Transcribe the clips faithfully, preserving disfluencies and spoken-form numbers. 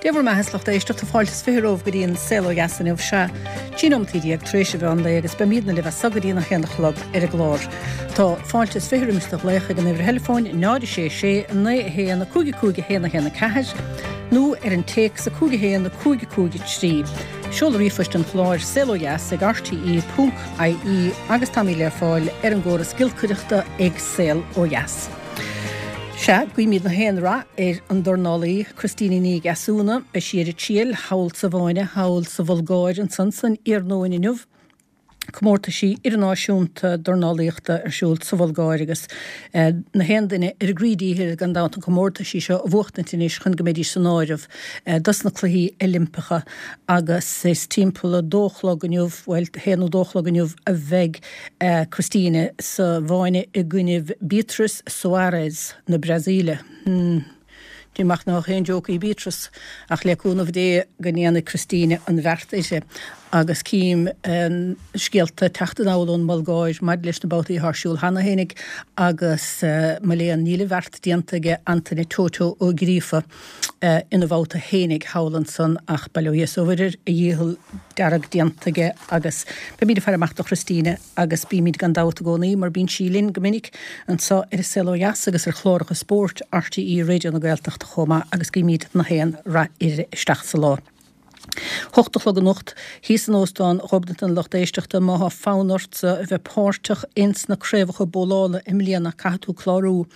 Dé bhur mbeatha a lucht éisteachta fáilte is fiche romhaibh go dtí an Saol Ó Dheas inniu sea trí nóimeataí déag tar éis an mheán lae agus beimidne libh as so go dtí a haon a chlog ar an gclár. Tá fáilte is fiche roimis do ghlaoch ag an uimhir theileafóin náid sé sé naoi a haon cúig cúig a haon a haon a ceathair nó ar an téacs a cúig a haon cúig cúig trí. Seol ríomhphost an chláir saol ó dheas ag RTE ponc IE agus táimid le fáil ar an gcóras giolcaireachta ag Saol Ó Dheas. Sea, guímid na haon rath ar an dornálaí Christine Ní Dheasúna, beidh sí ar a triail thall sa Mháine thall sa Bhulgáir ansan san iarnóin inniu. Comórtaisí idirnáisiúnta dornálaíochta ar siúl sa Bhulgáir agus eh, na haon duine ar a gcroí díchill gan dabht an comórtaisí seo a bhuachtaint anois chun go mbeidís san áireamh eh, dos na cluichí Oilimpeacha agus is timpeall a dó chlog inniu bhuel haon nó dó chlog inniu a bheidh eh, Christine sa bhFáinne i gcoinnibh Beatriz Soares na Brasaíle. Hmm. Dé nach nach aon joke í Beatrice ach le cúnamh Dé go ndéanfaidh Christine an bheart uirthi agus cím um, scéalta teacht anall ón mBulgáir maidir leis na babhtaí ar siúl cheana fhéinig agus uh, mo léan níl a bheart déanta aige Antaine Toto Ó Gríofa uh, ina bhabhta fhéinig thall ansan ach bail ó Dhia is ó Mhuire a dhícheall dearg déanta aige agus beimid ag faire amach do Christine agus bímid gan dabht i gcónaí mar bíonn sí linn go minic anseo ar an Saol Ó Dheas agus ar chláracha spóirt RTÉ Raidió na Gaeltachta chomh maith agus guímid na haon rath uirthi isteach sa lá. Hocht a chlog anocht thíos in óstán Ghobnatan lucht éisteachta má tá fonn ortsa a bheith páirteach ins na craobhacha bólála i mbliana caithfidh tú clárú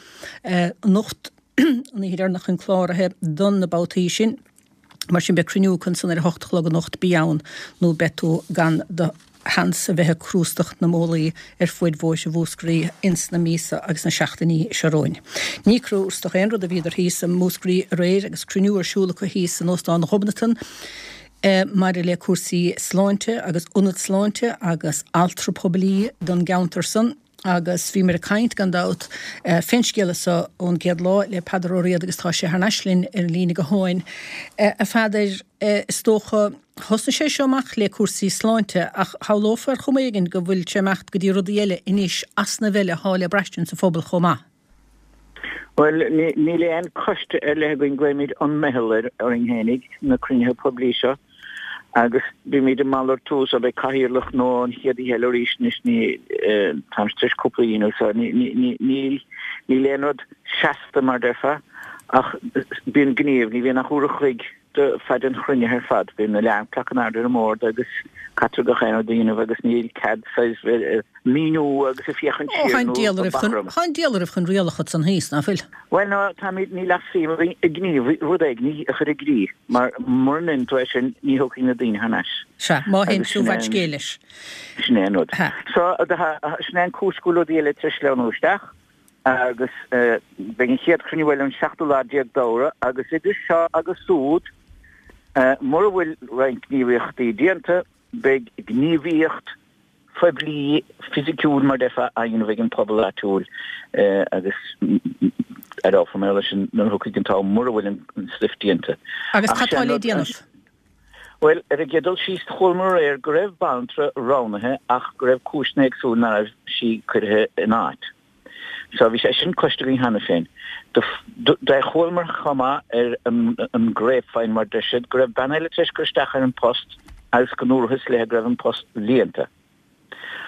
eh, anocht an oíche dheireanach chun cláraithe don na babhtaí sin. Mar sin beidh cruinniú ansan ar a hocht a chlog anocht bí ann nó beidh tú gan do sheans a bheith ag crústach na mbólaí ar fuaid bhóithre Mhúscraí ins na míosa agus na seachtainí seo romhainn. Ní crústach aon rud a bhíodar thíos i Múscraí aréir agus cruinniú ar siúl acu thíos in óstán Ghobnatan. Eh, maidir le cúrsaí sláinte agus ionad sláinte agus altra poiblí don gceantar san agus bhí muid ag caint gan dabht eh, fén scéal seo ón gcéad lá le Peadar Ó Riada agus tá sé thar n-ais linn ar an líne gutháin. Eh, a Pheadair eh, is dócha thosnaigh sé seo amach le cúrsaí sláinte ach shamhlófá ar chuma éigin go bhfuil sé imeacht go dtí rudaí eile anois easnamh eile atá le braistint sa phobal chomh maith. Well níl aon choiste ar leith againn glaoimid an meitheal ar orainn fhéinig na cruinnithe poiblí seo agus bímid ag malartú so beidh cathaoirleach nó an chéad oíche eile arís anois ní táim tar éis cúpla a dhéanamh so níl níl aon rud seasta mar déarfá ach bíonn gníomh ní bhíonn ach uair a chloig de fad an chruinnithe ar fad bíonn na alarm clock in airde ar an mbord agus caithfear gach aon rud a dhéanamh agus níl cead míniú agus ag féachaint siar nó Tá an diabhal oraibh chun rialacha san thíos nach bhfuil. Well no táimid níl ach suim i ngníomh rud éigin a chur i gcrích mar mura ndéanann tú é sin ní thiocfaidh na daoine thar n-ais. Sea, má théann tú i bhfad scéil leis. Sin é an rud. So sin é an cúis go bhfuil rudaí eile tar éis sleamhnú isteach agus beidh an chéad chruinniú eile an seachtú lá déag d'Fheabhra agus idir seo agus súd mura bhfuil roinnt gníomhaíochtaí déanta beidh gníomhaíocht phoiblí fisiciúil mar déarfá á dhéanamh ag an pobal áitiúil agus aireofar mé leis sin nuair a thiocfaidh an t-am mura bhfuil an stuif déanta. Agus cad tá le déanamh? Bhuel, ar an gcéad dul síos chualamar aréir go raibh banaltra roghnaithe ach go raibh cúiseanna éagsúla nach raibh sí curtha in áit. So bhí sé sin cloiste againn cheana féin. Do chualamar chomh maith ar an grapevine mar deir siad go raibh bean eile tar éis cur isteach ar an post agus go ndúrathas léi go raibh an post líonta.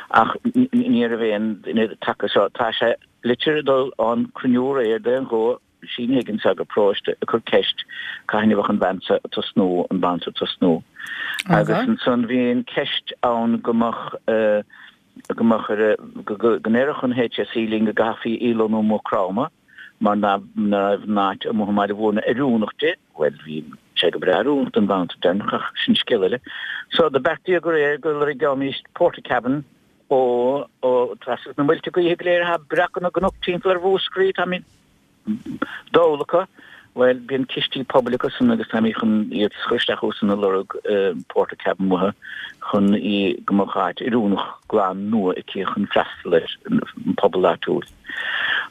Ach ní raibh aon duine tagtha so tá sé litir ag dul ón cruinniú aréir d'aon ghuth Síne Higgins ag an bparóiste ag cur ceist cathain a bheadh an bhean seo ag tosnú, an bhanaltra ag tosnú. Agus ansan bhí an ceist ann go mbeadh go mbeadh ar go ndéarfadh an HSE linn go gcaithfí í lonnú i Maigh Chromtha mar nach raibh an áit amuigh i mBaile Mhúirne oiriúnach di. Bhuel bhí sé go breá oiriúnach don bhanaltra deireanach ach sin scéal eile. So do beartaíodh aréir go lorgóimis portacabin ó ó trasna na muilte gaoithe go léir atá breactha na gcnoc timpeall ar Mhúscraí táimid dall acu. Bhuel, bíonn cistí pobail acu san agus táimid chun iad a chur isteach chucu san ag lorg portacabin uathu chun í go mbeadh áit oiriúnach glan nua aici chun freastal ar an pobal áitiúil.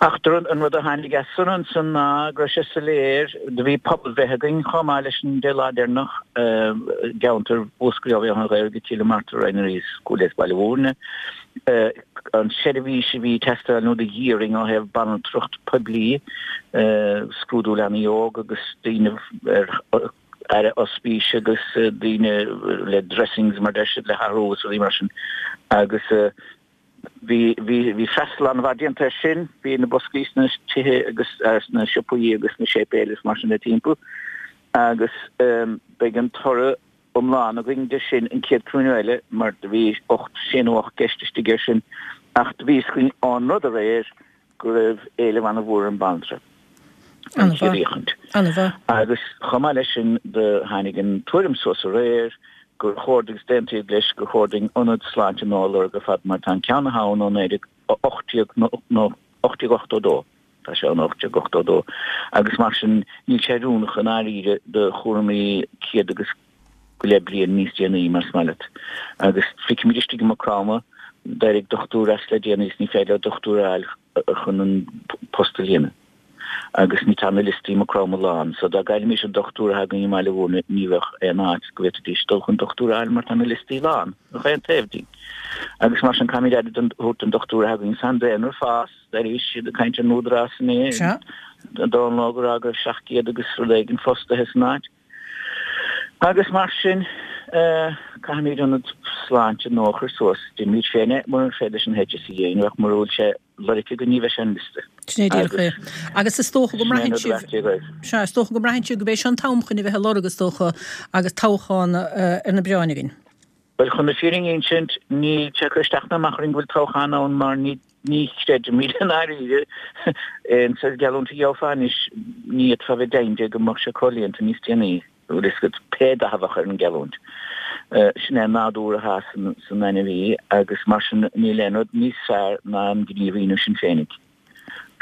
Ach an rud a tháinig as san ansan ná go raibh sé soiléir, do bhí pobalbhreith againn chomh maith leis an dé lá deireanach i gceantar Mhúscraí ó Bhéal Átha an Ghaorthaidh go Cill na Martra ar aghaidh Cúil Aodha Baile Mhúirne. an tseirbhís a bhí ag teastáil nó do dh'iarrainn ó thaobh banaltracht poiblí, scrúdú leanaí óg agus daoine ar aire ospís agus daoine le dressings mar deir siad le hathrú agus rudaí mar sin agus bhí bhí bhí freastal an-mhaith déanta air sin, bhí na boscaí sna tithe agus sna siopaí agus sna séipéil is mar sin de timpeall agus beidh an toradh iomlán againn de sin an chéad cruinniú eile mar do bhí ocht, sé nó ocht gceist istigh air sin ach do bhí a fhios againn ón rud aréir go raibh éileamh an-mhór ar an banaltra. An chéad fhéachaint. An-mhaith. Agus chomh maith leis sin do tháinig an tuairim suas aréir gur chóir agus d'aontaíodh leis gur chóir dúinn ionad sláinte nua a lorg ar fad mar tá an ceann atá ann ó naoi déag ocht déag nó ocht déag ochtó dó. Tá sé ó ocht déag ochtó dó agus mar sin níl sé oiriúnach i ndáiríre do chúraimí céad agus go leith bliain níos déanaí más maith leat. Agus feicimid istigh i Maigh Chromtha, d'éirigh dochtúir as le déanaí is ní féidir leo dochtúir a fháil chun an post a líonadh. Agus ní tá na liostaí i Maigh Chromtha lán. So dá gcaillfimis an dochtúir atá againn i mBaile Mhúirne ní bheadh aon áit go bhféadfaidís dul chun dochtúir a fháil mar tá na liostaí lán gach aon taobh dínn. Agus mar sin caithfimid aire a thabhairt don dochtúir atá againn. Tá an daonra ag fás, arís iad ag caint ar an Údarás inné, Dónal Óg ag rá go raibh seacht gcéad agus rud éigin fostaithe san áit. Agus mar sin, caithfimid ionad sláinte nua a chur suas. Déanfaimid féin é murar féidir leis an HSE a dhéanamh ach mura bhfuil sé lorgtha againn ní bheidh sé ar an liosta. Sin é díreach é. Agus is dócha go mbraitheann sibh, sea, is dócha go mbraitheann sibh gurb é seo an t-am chun a bheith ag lorg, is dócha, agus toghchán ar na bioráin againn. Bhuel, chun na fírinne a insint, níl sé ag cur isteach ná amach orainn go bhfuil toghchán ann mar ní ní chreidimid i ndáiríre aon saghas geallúint a gheofá anois, ní fhéadfá a bheith deimhin de go mbeadh sé comhlíonta níos déanaí, bhfuil fhios agat, pé dath a bheadh ar an gheallúint. Sin é an nádúr atá san ainmhí agus mar sin níl aon rud níos fearr ná an gníomh a dhéanamh sinn féinig.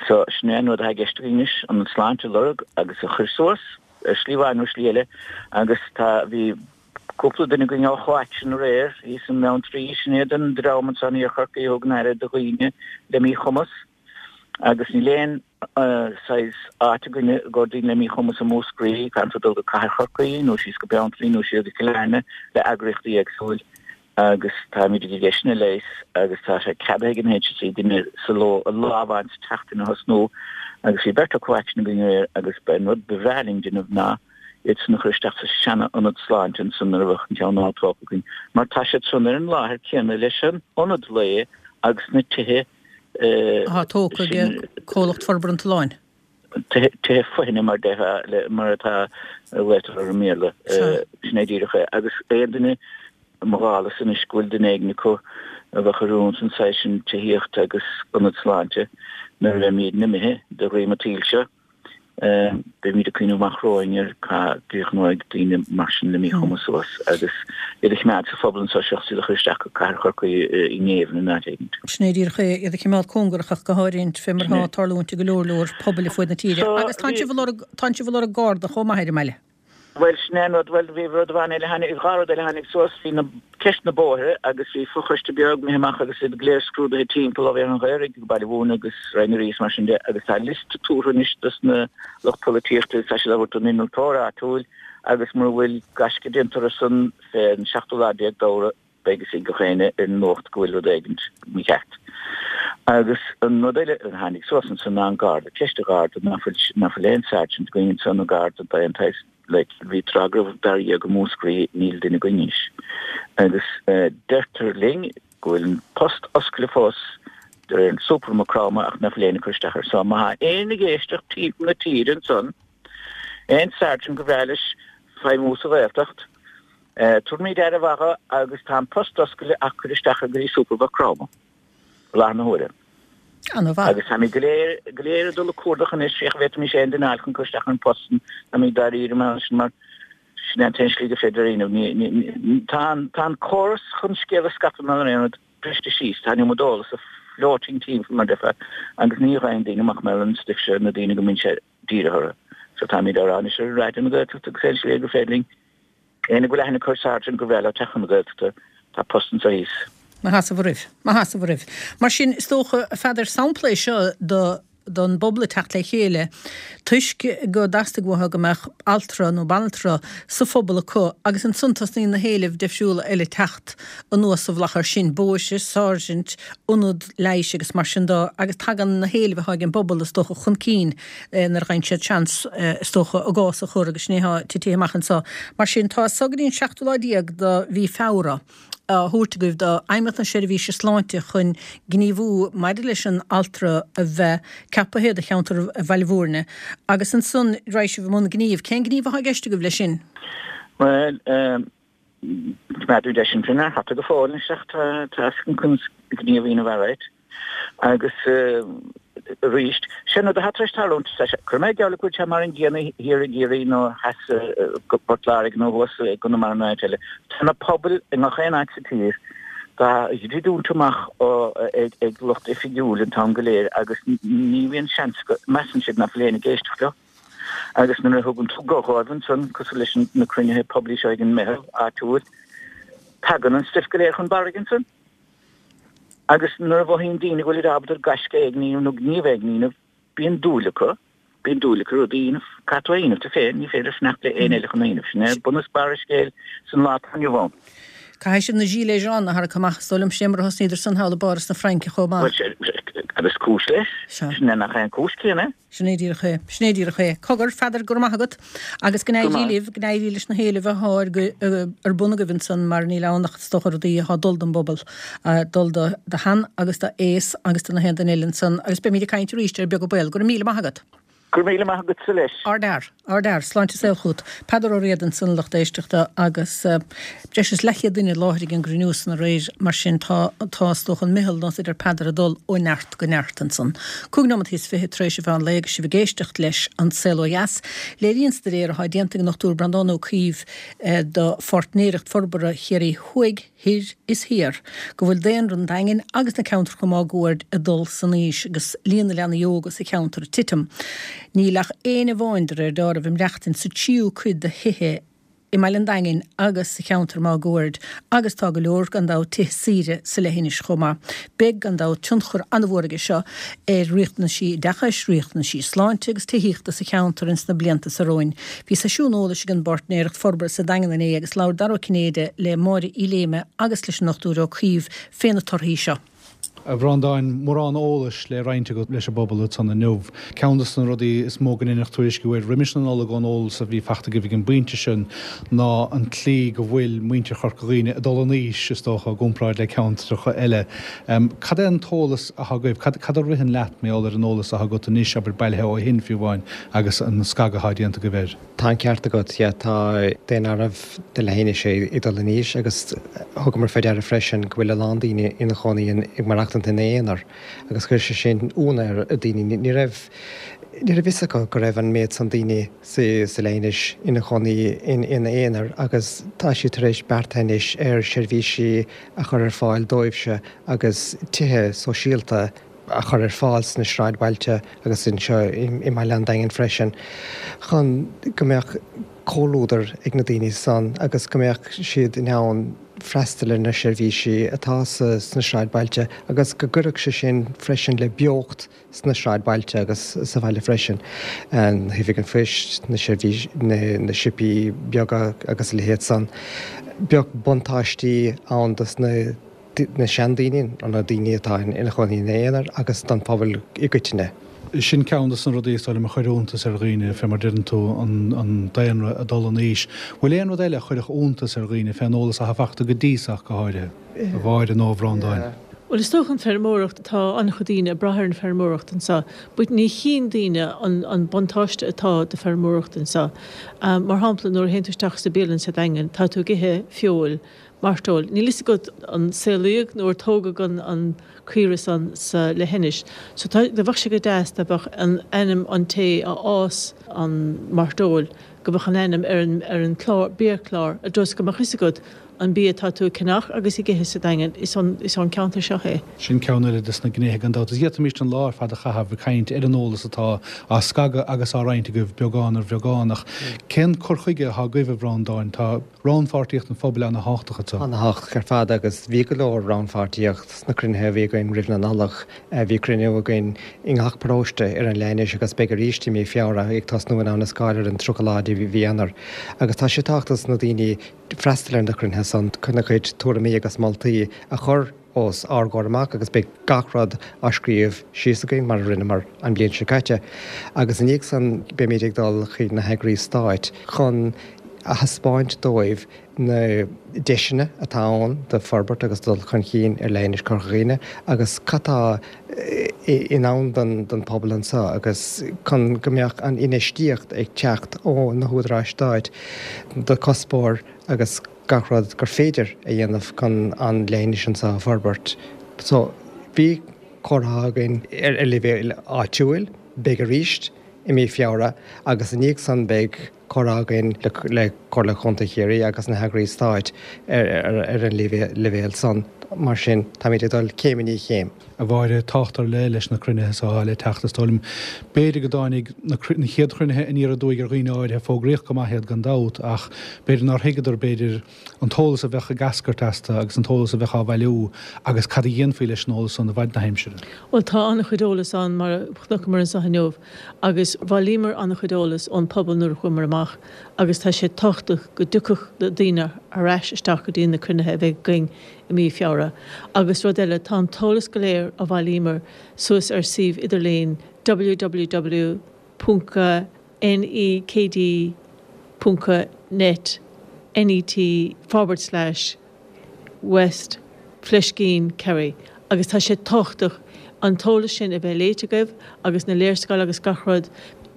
So, sin é an rud atá i gceist againn anois, an sláinte a lorg agus a chur suas ar shlí amháin nó slí eile agus tá, bhí, Cúpla duine againn ó Chomhaicsean aréir thíos i mBeanntraí, sin iad an dream anso in Iarthar Chorcaí a thugann aire do dhaoine le míchumas agus níl aon saghas áit againne i gcomhair daoine le míchumas i Múscraí, caithfidh tú dul go Cathair Chorcaí nó síos go Beanntraí nó siar go Cill Airne le eagraíochtaí éagsúil agus táimid ag iarraidh sin a leigheas agus tá sé ceadaithe ag an HSE duine sa ló lá amháin sa tseachtain a thosnú agus bhí beirt ó Chomhaicsean againn aréir agus ba an rud ba bhreá linn déanamh ná iad san a chur isteach sa seana-ionad sláinte ansan nuair a bheadh an ceann nua tógtha againn, mar tá siad san ar an láthair céanna leis an ionad lae agus na tithe Atá tógtha ag Comhlacht Forbartha an tSuláin. Tithe foithne mar déarfá, mar atá a ghlaotar orthu i mBéarla. Sin é díreach é. Agus aon duine, mo dhála-sa anois, go bhfuil duine éigin acu a bheadh oiriúnach don saghas sin tithíochta agus ionad sláinte nuair a bheimídne imithe de dhroim an tsaoil seo, Beimid ag cuimhneamh amach romhainn ar cá gcríochnóidh daoine mar sin le míchumas suas agus iad a choimeád sa phobal anseo seachas iad a chur isteach go Cathair Chorcaí i ngéibheann in áit éigin. Sin é díreach é, iad a choimeád cóngarach ach go háirithe fé mar atá ag tarlúint i go leor leor pobail ar fuaid na tíre. Agus tánn sibh ag lorg, tánn sibh ag lorg garda chomh maith ar an mbaile. Bhuel, sin é an rud, bhuel, bhí rud amháin eile a tháinig, dhá rud eile a tháinig suas, bhí na, ceist na bóithre agus bhí fochoiste beag imithe amach agus iad go léir scrúdaithe timpeall ó Bhéal an Ghaorthaidh go Baile Mhúirne agus Rinn na Rí is mar sin de agus tá liosta tabhartha anois dos na lucht polaitíochta agus tá siad á thabhairt don innealtóir áitiúil agus mura bhfuil gaisce déanta orthu san fé an seachtú lá déag d'Fheabhra beidh fhios ag gach éinne ar an nuacht go bhfuil rud éigint mícheart. Agus an rud eile a tháinig suas ansan ná an Garda, ceist an Gharda, ná fuil, ná fuil aon sergeant againn ansan nó Garda d'aon tsaghas, like, bhí tráth go raibh fear dhéag i Múscraí, níl duine againn anois. Agus deirtear linn go bhfuil an post oscailte fós de réir an Super i Maigh Chromtha ach ná fuil éinne ag cur isteach air. So má tá éinne ag éisteacht timpeall na tíre ansan, aon sergeant gur bhreá leis feidhmiú sa Ghaeltacht, Tabharfaimid aire mhaith dho agus tá an post oscailte ach cuir isteach air go dtí Super Mhaigh Chromtha i láthair na huaire. Ana-mhaith. Agus táimid go léir, go léir ag dul ag cuardach anois féach an bhféadfaimis aon duine a fháil chun cur isteach ar an bpost san. Táimid dáiríre mar sin mar sin é an t-aon slí gur féidir a dhéanamh. Ní, ní, ní, tá an, tá an córas chun scéal a scaipeadh mar aon rud briste síos. Tá an iomad eolas ag floating timpeall mar déarfá agus ní gheibheann daoine amach mar an stuif seo na daoine go mbíonn sé dírithe orthu. So táimid á rá anois ar Raidió na Gaeltachta agus aon slí gur féidir linn Éinne go bhfuil aithne acu ar sergeant gur bhreá leo teacht chun na Gaeltachta, tá post anseo thíos. Mo sheasamh oraibh. Mo sheasamh oraibh. Mar sin, is dócha, a Pheadair, sampla é seo do don bpobal ag teacht le chéile toisc go dteastaigh uathu go mbeadh altra nó banaltra sa phobal acu agus ansan tosnaíonn na héilimh difriúla eile teacht anuas sa mhullach air sin, bóithre, sáirsint, ionad leighis agus mar sin de agus tagann na héilimh atá ag an bpobal is dócha chun cinn nuair a fhaigheann siad seans is dócha a gcás a chur agus sin é atá titithe amach anseo. Mar sin tá so go dtí an seachtú lá déag de mhí Feabhra. á thabhairt agaibh do Fheidhmeannacht na Seirbhíse Sláinte chun gníomhú maidir leis an altra a bheith ceapaithe do cheantar Bhaile Bhúirne agus ansan raghaidh sibh i mbun gnímh. Cén gníomh atá i gceist agaibh leis sin? Bhuel, coimeádadh deis an ar hata go fóill anois ach tá tá conas gníomh a dhéanamh alright. Agus arís, sin rud atá tar éis tarlúint, cuirfidh mé geall go bhfuil sé mar an gcéanna thiar i gCiarraí nó theas i bPort Láirge nó thuas i gConamara nó áit eile. Tá na pobail i ngach aon áit sa tír dá dhruidiúint amach ag lucht oifigiúil an t-am go léir agus ní bhíonn seans acu, measann siad nach bhfuil éinne ag éisteacht leo. Agus nuair a thugann tú guth dhóibh ansan, cosúil leis na cruinnithe poiblí seo ag an meitheal áitiúil, tagann an stuif go léir chun barraigh ansan. Agus nuair a mhothaíonn daoine go bhfuilid ábalta gaisce éigin a dhéanamh nó gníomh éigin a dhéanamh, bíonn dúil acu, bíonn dúil acu rud a dhéanamh. Caithfidh tú é a dhéanamh tú féin, ní féidir fanacht le éinne eile chun é a dhéanamh. Sin é bun is barr an scéil san lá atá inniu ann. Caithfidh sibh na gilets jaunes a tharrac amach, is dóigh liom, sin é mar a thosnaíodar san thall i bPáras na Fraince chomh maith. Bhuel, agus cúis leis. Sin é nach é an cúis céanna é. Sin é díreach é. Sin é díreach é. Cogar, Pheadair, go raibh maith agat. Agus go n-éirí libh, go n-éirí leis na héilimh atá ar ar bun agaibh ansan mar níl ann ach is dócha rudaí atá ag dul don bpobal, dul do do shean agus do aos agus do na haon duine eile ansan. Agus beimid ag caint arís ar Beag an Baol. Go raibh míle maith agat. Go raibh míle maith agatsa leis. Ardfhear. Ardfhear. Sláinte is saol chugat. Peadar Ó Riada ansan, a lucht éisteachta, agus breis is leathchéad duine i láthair ag an gcruinniú san aréir, mar sin tá, tá is dócha an meitheal, nós a deir Peadar, ag dul ó neart go neart ansan. Cúig nóimeataí is fiche tar éis an mheán lae agus sibh ag éisteacht leis An Saol Ó Dheas. Léiríonn staidéar atá déanta ag an Dochtúir Breandán Ó Caoimh do Pháirtnéireacht Forbartha Chiarraí Thuaidh, Thoir is Thiar, go bhfuil daonra an Daingin agus na ceantracha máguaird ag dul san aois agus líon na leanaí óga sa cheantar ag titim. Níl ach éinne amháin de réir dealraimh ag maireachtaint sa tríú cuid de thithe i mbaile an Daingin agus sa cheantar máguaird agus tá go leor, gan dabht, tithe saoire sa leithinis chomh maith. Beidh, gan dabht, tionchar an-mhór aige seo ar riachtanaisí oideachais, riachtanaisí sláinte agus tithíochta sa cheantar ins na blianta seo romhainn. Bhí seisiún eolais ag an bPáirtnéireacht Forbartha sa Daingean inné agus labhair Dara Ó Cinnéide le Máire Uí Léime agus leis an nDochtúir Ó Caoimh fé na torthaí seo. A Bhreandáin, mórán eolais le roinnt agat leis an bpobal ansan inniu. Ceann de na rudaí is mó go ndeineadh tuairisciú air roimis na Nollag ón eolas a bhí fachta agaibh ag an bpointe sin ná an tslí go bhfuil muintir Chorca Dhuibhne ag dul in aois, is dócha, i gcomparáid le ceantracha eile. Cad é an t-eolas atá agaibh? Cad cad a ritheann leat mar gheall ar an eolas atá agat anois, abair, bailithe ó shin fiú amháin, agus an scagadh atá déanta agaibh air? Tá an ceart agat, yeah, tá daonáireamh na leithinise ag dul in aois agus thugamar faoi deara freisin go bhfuil a lán daoine ina chónaí ag maireachtaint ina aonar agus chuir sé sin ionadh ar daoine. Ní raibh ní raibh fhios acu go raibh an méid san daoine sa sa leithinis ina chónaí ina aonar agus tá siad tar éis beartaithe anois ar seirbhísí a chur ar fáil dóibhse agus tithe sóisialta a chur ar fáil sna sráidbhailte agus anseo i mBaile an Daingin freisin chun go mbeadh comhluadar ag na daoine san agus go mbeadh siad in ann freastal ar na seirbhísí atá sna sráidbhailte agus go gcuirfeadh sé sin freisin le beocht sna sráidbhailte agus sa bhaile freisin, na hoifig an phoist, na seirbhís, na siopaí beaga agus a leithéid san. Bheadh buntáistí ann dos na na seandaoine, na daoine atá ina chónaí ina aonar agus don phobal i gcoitinne. Sin ceann de na rudaí is dóigh liom a chuir iontas ar dhaoine, fé mar deireann tú, an daonra ag dul in aois. Bhfuil aon rud eile a chuirfeadh iontas ar dhaoine fén eolas atá fachta go dtí so ach go háirithe, a Mháire nó a Bhreandáin? Bhuel, is dócha an feirmeoireacht, tá an-chuid daoine ag brath ar an feirmeoireacht anseo, but ní chíonn daoine an an buntáiste atá do feirmeoireacht anseo. Mar shampla, nuair a théann tú isteach sa bialann sa Daingean, tá tú ag ithe feoil, mairteoil. Níl fhios agat an saolaíodh nó ar tógadh an an caora san sa leithinis. So tá, do bheadh sé go deas dá mbeadh an ainm an té a fhás an mairteoil, go mbeadh an ainm ar an ar an clár, biachlár, i dtreo is go mbeadh fhios agat an bia atá tú ag ceannach agus ag ithe sa Daingean, is ón is ón ceantar seo é. Sin ceann eile des na gnéithe gan dabht. Is d'fhéadfaimis an lá ar fad a chaitheamh ag caint ar an eolas atá á scagadh agus á roinnt agaibh beagán ar bheagán ach cén cur chuige atá agaibh a Bhreandáin? Tá Rannpháirtíocht an phobail ana-thábhachtach anseo. Ana-thábhachtach ar fad agus bhí go leor rannpháirtíocht sna cruinnithe a bhí againn roimh na Nollag. Bhí cruinniú againn i ngach paróiste ar an leithinis agus beidh arís i mí Feabhra ag tosnú in Abha na Scáil ar an tríocha lá de mhí Eanáir. Agus tá sé tábhachtach dos na daoine freastal ar na cruinnithe san chun a gcuid tuairimí agus moltaí a chur os ár gcomhair amach agus beidh gach rud á scríobh síos againn mar a rinneamar an bhliain seo caite. Agus i ndiaidh san beimid ag dul chuig na heagrais stáit chun a thaispeáint dóibh na deiseanna atá ann do forbairt agus dul chun cinn ar leithinis Chorca Dhuibhne agus cad tá i ndán don pobal anseo agus chun go mbeadh an infheistíocht ag teacht ó na húdaráis stáit do cuspóir agus gach rud gur féidir a dhéanamh chun an leithinis anseo a fhorbairt. So, bhí comhrá againn ar leibhéal áitiúil, beidh arís i mí Feabhra agus i ndiaidh san beidh comhrá againn le Comhairle Chontae Chiarraí agus na heagrais stáit ar an leibhéal san. Mar sin, táimid ag dul céim i ndiaidh chéim. A Mháire, tábhacht ar leith leis na cruinnithe so atá le teacht, is dóigh liom. B'fhéidir go dtáinig na chéad chruinnithe aniar aduaidh ar dhaoine áirithe, fógraíodh go maith iad gan dabht, ach b'fhéidir nár thuigeadar, b'fhéidir, an t-eolas a bheadh ag eascairt astu agus an t-eolas a bheadh á bhailiú agus cad a dhéanfaí leis an eolas san i bhfad na haimsire. Bhuel, tá an-chuid eolas ann, mar a chonaiceamar anseo inniu, agus bhailíomar an-chuid eolas ón pobal nuair a chuamar amach agus tá sé tábhachtach go dtiocfadh na daoine ar ais isteach go dtí na cruinnithe a bheidh againn i mí Feabhra. Agus rud eile, tá an t-eolas go léir a bhailíomar suas ar suíomh idirlín www ponc nekd ponc net, N-E-T, forward slash west fleiscín Kerry agus tá sé tábhachtach an t-eolas sin a bheith léite agaibh agus na léarscáil agus gach rud.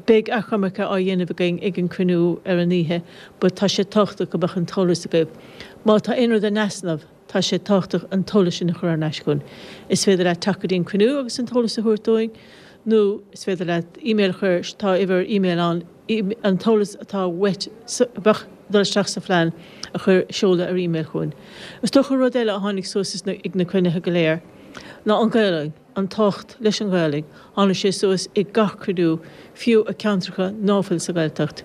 Beidh achoimre á dhéanamh againn ag an cruinniú ar an oíche but tá sé tábhachtach go mbeadh an t-eolas agaibh. Má tá aon rud in easnamh, tá sé tábhachtach an t-eolas sin a chur thar n-ais chugainn. Is féidir leat teacht go dtí an cruinniú agus an t-eolas a thabhairt dúinn nó is féidir leat email a chur, tá uimhir email ann, an t-eolas atá uait a bheadh ag dul isteach sa phlean a chur, seoladh ar email chugainn. Is dócha rud eile a tháinig suas ag na cruinnithe go léir ná an Ghaelainn, an tábhacht leis an Ghaelainn. Tháinig sé suas i gach cruinniú, fiú i ceantracha ná fuil sa Ghaeltacht.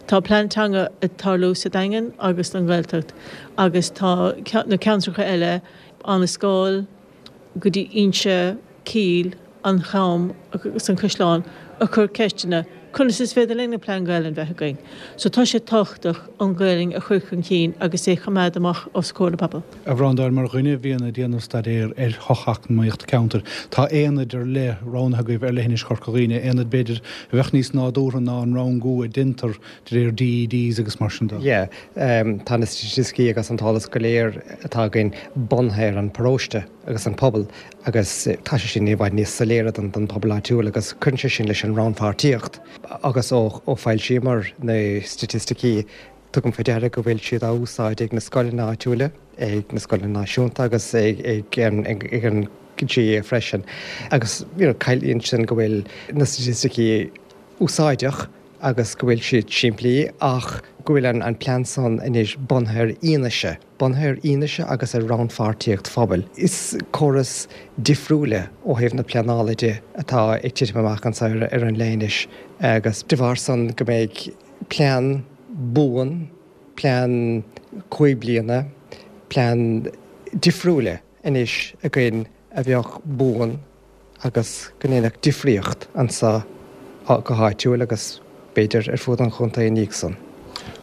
Tá plean teanga ag tarlú sa Daingean agus don Ghaeltacht agus tá na ceantracha eile, Abhainn an Scáil go dtí Inse, Cill, an Cham agus an Caisleán ag cur ceisteanna, conas is féidir linn an plean Gaelainn bheith againn? So tá sé tábhachtach an Ghaelainn a chur chun cinn agus é choimeád amach os comhair na pobal. A Bhreandáin, mar dhuine a bhíonn ag déanamh staidéir ar shocheacnamaíocht ceantair, tá aonaid ar leith roghnaithe agaibh ar leithinis Chorca Dhuibhne, aonaid b'fhéidir a bheadh níos nádúrtha ná an rangú a deintear de réir DEDs agus mar sin de. Yeah, tá na staitisticí agus an t-eolas go léir atá againn bunaithe ar an paróiste agus an pobal agus tá sé sin i bhfad níos soiléire don don pobal áitiúil agus cuireann sé sin leis an rannpháirtíocht agus ó ó foilsíomar na staitisticí tugaim faoi deara go bhfuil siad á úsáid ag na scoileanna áitiúla, ag na scoileanna náisiúnta agus ag ag ag an GAA freisin agus you know ciallaíonn sin go bhfuil na staitisticí úsáideach agus go bhfuil siad simplí ach go bhfuil an plean san anois bunaithe ar fhianaise, bunaithe ar fhianaise agus ar rannpháirtíocht phobail. Is córas difriúil ó thaobh na pleanála de atá ag titim amach anseo ar an leithinis agus de bharr san go mbeidh plean buan, plean cúig bliana, plean difriúil anois againn a bheadh buan agus go ndéanfadh difríocht anseo go háitiúil agus b'fhéidir ar fud an chontae ina dhiaidh san.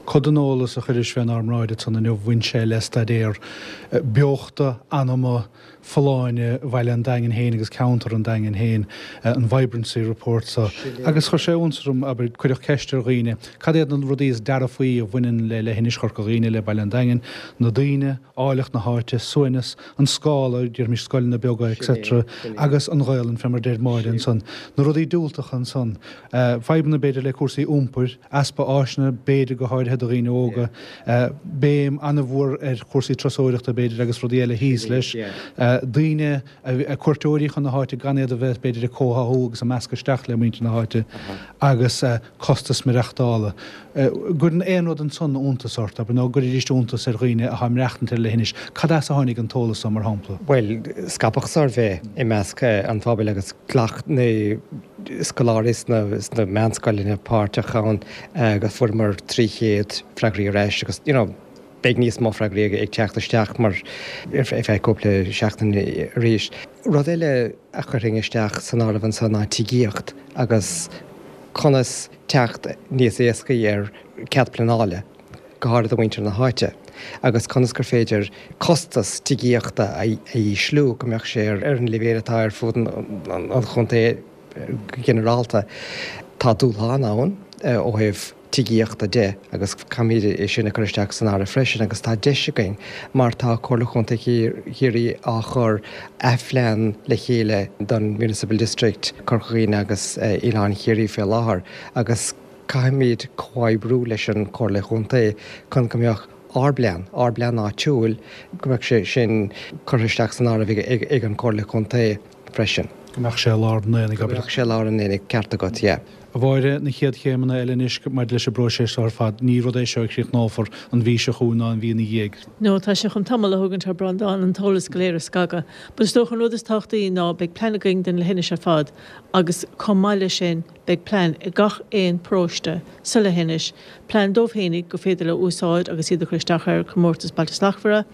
Cuid den eolas a chuiris fénár mbráid ansan inniu bhain sé le staidéar beochta, anama, folláine Bhaile an Daingin féin agus ceantar an Daingin féin, an Vibrancy Report so. Agus chuir sé iontas orm, abair, cuireadh ceist ar dhaoine, cad iad na rudaí is dearfaí a bhaineann le leithinis Chorca Dhuibhne, le Baile an Daingin, na daoine, áilleacht na háite, suaimhneas, an scála, déarfaimis scoileanna beaga etc. Agus an Ghaelainn, fé mar deir Máire ansan. Na rudaí diúltacha ansan. Fadhbanna b'fhéidir le cúrsaí iompair, easpa áiseanna b'fhéidir go háirithe do dhaoine óga, béim an-mhór ar chúrsaí turasóireachta b'fhéidir agus rudaí eile thíos leis. Daoine, cuairteoirí chun na háite gan iad a bheith b'fhéidir ag comhtháthú agus ag meascadh isteach le muintir na háite agus costas maireachtála. Gcuireann aon rud ansan iontas ort, abair, nó gcuirfidís iontas ar dhaoine atá ag maireachtaint ar leithinis? Cad as a tháinig an t-eolas so, mar shampla? Bhuel, scaipeadh suirbhé i measc an phobail agus ghlac na scoláirí sna sna meánscoileanna páirt ann agus fuaireamar trí chéad freagraí ar ais agus, you know, beidh níos mó freagraí ag teacht isteach mar ar feadh cúpla seachtain arís. Rud eile a chuirfinn isteach san áireamh ansan ná tigíocht agus conas teacht níos éascaí ar cead pleanála, go háirithe do mhuintir na háite, agus conas gur féidir costas tigíochta a ísliú, go mbeadh sé ar an leibhéal atá ar fud an chontae go ginearálta. Tá dúshlán ann ó thaobh tigíochta de agus caithfimid é sin a chur isteach san áireamh freisin agus tá deis againn mar tá Comhairle Chontae Chiarraí á chur athphlean le chéile don Municipal District Corca Dhuibhne agus Oileán Chiarraí fé láthair agus caithfimid comhoibriú leis an Chomhairle Chontae chun go mbeadh ár bplean, ár bplean áitiúil, go mbeadh sé sin curtha isteach san áireamh ag an Chomhairle Chontae freisin. Go mbeadh sé i lár an aonaigh, abair. Go mbeadh sé i lár an aonaigh, ceart agat, yeah. A Mháire, na chéad chéimeanna eile anois maidir leis an bpróiseas seo ar fad, ní rud é seo a chríochnófar an mhí seo chugainn ná an mhí ina dhiaidh. No, tá sé chun tamall a thógaint a Bhreandáin an t-eolas go léir a scagadh. But is dócha an rud is tábhachtaí ná beidh plean againn don leithinis ar fad agus chomh maith leis sin beidh plean ag gach aon paróiste sa leithinis, plean dóibh fhéinig gur féidir leo úsáid agus iad a chur isteach ar Chomórtas Bailte Slachtmhara.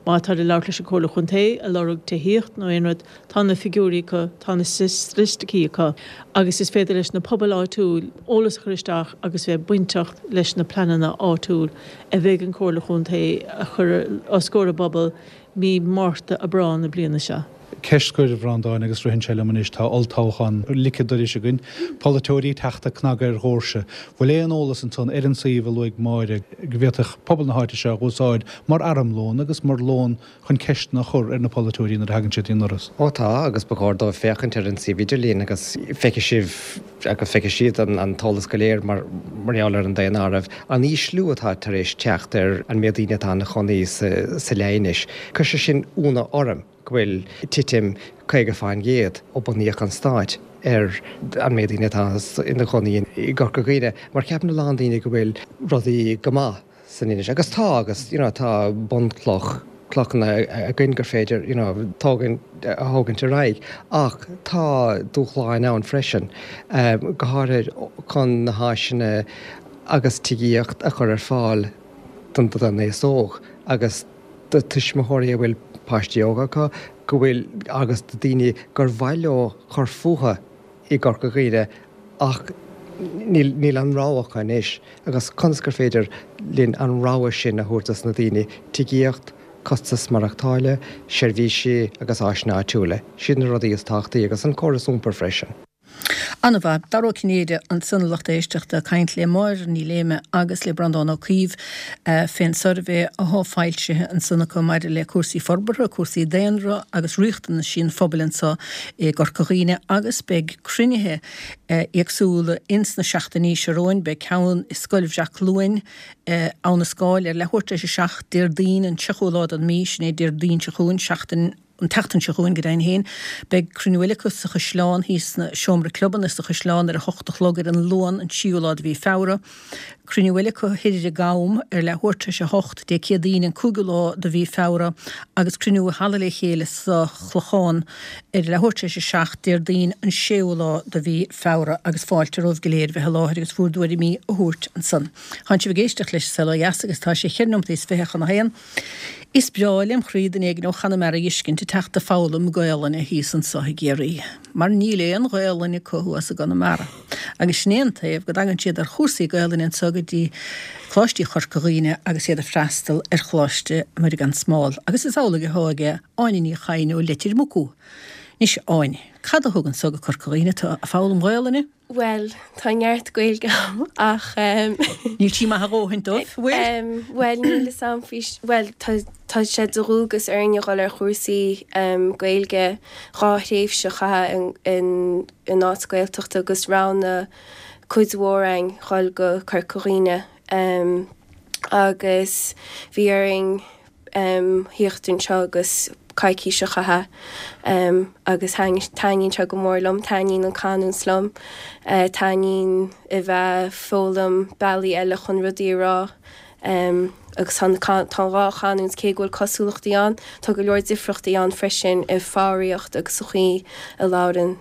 Má táid ag labhairt leis an Chomhairle Chontae ag lorg tithíocht nó aon rud, tá na figiúirí acu, tá na staitisticí acu agus is féidir leis na pobail áitiúil eolas a chur isteach agus bheith bainteach leis na pleananna áitiúil a bheidh an Chomhairle Chontae a chur os comhair a bpobal mí Márta, Aibreán na bliana seo. Ceist scoir, a Bhreandáin, agus ritheann sé liom anois, tá olltoghchán ligthe dorais againn, polaiteoirí ag teacht ag cnagadh ar dhoirse. Bhfuil aon eolas ansan ar an suíomh a luaigh Máire go bhféadfadh pobal na háite seo a úsáid mar armlón agus mar lón chun ceisteanna a chur ar na polaiteoirí nuair a thagann siad i ndoras? Ó tá, agus ba chóir dóibh féachaint ar an suíomh idirlín agus feicfidh sibh agus feicfidh siad an t-eolas go léir mar gheall ar an daonáireamh, an ísliú atá tar éis teacht ar an méid daoine atá ina chónaí sa leithinis. Chuir sé sin ionadh orm. go bhfuil titim caoga fán gcéad ó bunaíodh an Stát ar an méid daoine atá ina gcónaí i gCorca Dhuibhne, mar ceapann a lán daoine go bhfuil rudaí go maith san Inis, agus tá, agus you know tá bunchloch, clochanna againn gur féidir you know tógaint, a thógaint ar aghaidh, ach tá dúshláin ann freisin, go háirithe chun na háiseanna agus tigíocht a chur ar fáil don don aos óg agus do tuismitheoirí a bhfuil páistí óga acu, go bhfuil, agus do daoine gur mhaith leo cur fúthu i gCorca Dhuibhne ach níl, níl an rogha acu anois agus conas gur féidir linn an rogha sin a thabhairt dos na daoine, tigíocht, costas maireachtála, seirbhísí agus áiseanna áitiúla, siad na rudaí is tábhachtaí agus an córas iompair freisin. An-mhaith. Dara Ó Cinnéide ansan a lucht éisteachta ag caint le Máire Ní Léime agus le Breandán Ó Caoimh fén suirbhé athá foilsithe ansan acu maidir le cúrsaí forbartha, cúrsaí daonra agus riachtanaisí an phobail anso i gCorca Dhuibhne agus beidh cruinnithe éagsúla ins na seachtainí seo romhainn. Beidh ceann i Scoil Bhreac Cluain, Abha na Scáil ar leathuair tar éis a seacht Déardaoin an tríochú lá den mí, sin é Déardaoin seo chugainn, seachtain. An tseachtain seo chugainn, go deimhin féin, beidh cruinniú eile acu sa Chaisleán, thíos sna seomra clubanna sa Chaisleán ar a hocht a chlog ar an Luan, an tríú lá de mhí Feabhra. Cruinniú eile acu thoir ar an gCam ar leathuair tar éis a hocht, Dé Céadaoin, an cúigiú lá de mhí Feabhra agus cruinniú i Halla Le Chéile sa Chlochán ar leathuair tar éis a seacht, Déardaoin, an séú lá de mhí Feabhra agus fáilte romhaibh go léir bheith i láthair agus bhúr dtuairimí a thabhairt ansan. Tánn sibh ag éisteacht leis An Saol Ó Dheas agus tá sé cheithre nóimeataí is fiche chun a haon. Is breá lem chroí duine éigin ó Chonamara a fheiscint ag teacht ag foghlaim Gaolainne thíos anso i gCiarraí, mar níl aon Ghaolainn acu thuas i gConamara. Agus sin é an taobh go dtagann siad ar chúrsaí Gaolainne anso go dtí Coláistí Chorca Dhuibhne agus iad ag freastal ar Choláiste Muire gan Smál. Agus is amhlaidh athá aige Áine Ní Chadhain ó Leitir Mucú. Anois, a Áine, cad a thug anso go Corca Dhuibhne tú ag foghlaim Gaolainne? Bhuel, tá neart Gaeilge agam ach ehm. Níl sí maith a dhóthain dóibh, bhfuil? Ehm, bhuel níl fhios a'm faoi, bhuel tá tá sé de dhualgas orainn a dhul ar chúrsaí ehm Gaeilge dhá thréimhse a chaitheamh in in áit Gaeltachta agus roghnaigh cuid mhór againn dhul go Corca Dhuibhne ehm agus bhí orainn thíocht anseo agus coicís a chaitheamh agus taitníonn sé go mór liom, taitníonn an canúint liom, taitníonn a bheith ag foghlaim bealaí eile chun rudaí a rá agus tá an dhá chanúint, cé go bhfuil cosúlachtaí ann, tá go leor difriochtaí ann freisin i foghraíocht agus sa chaoi a labhrann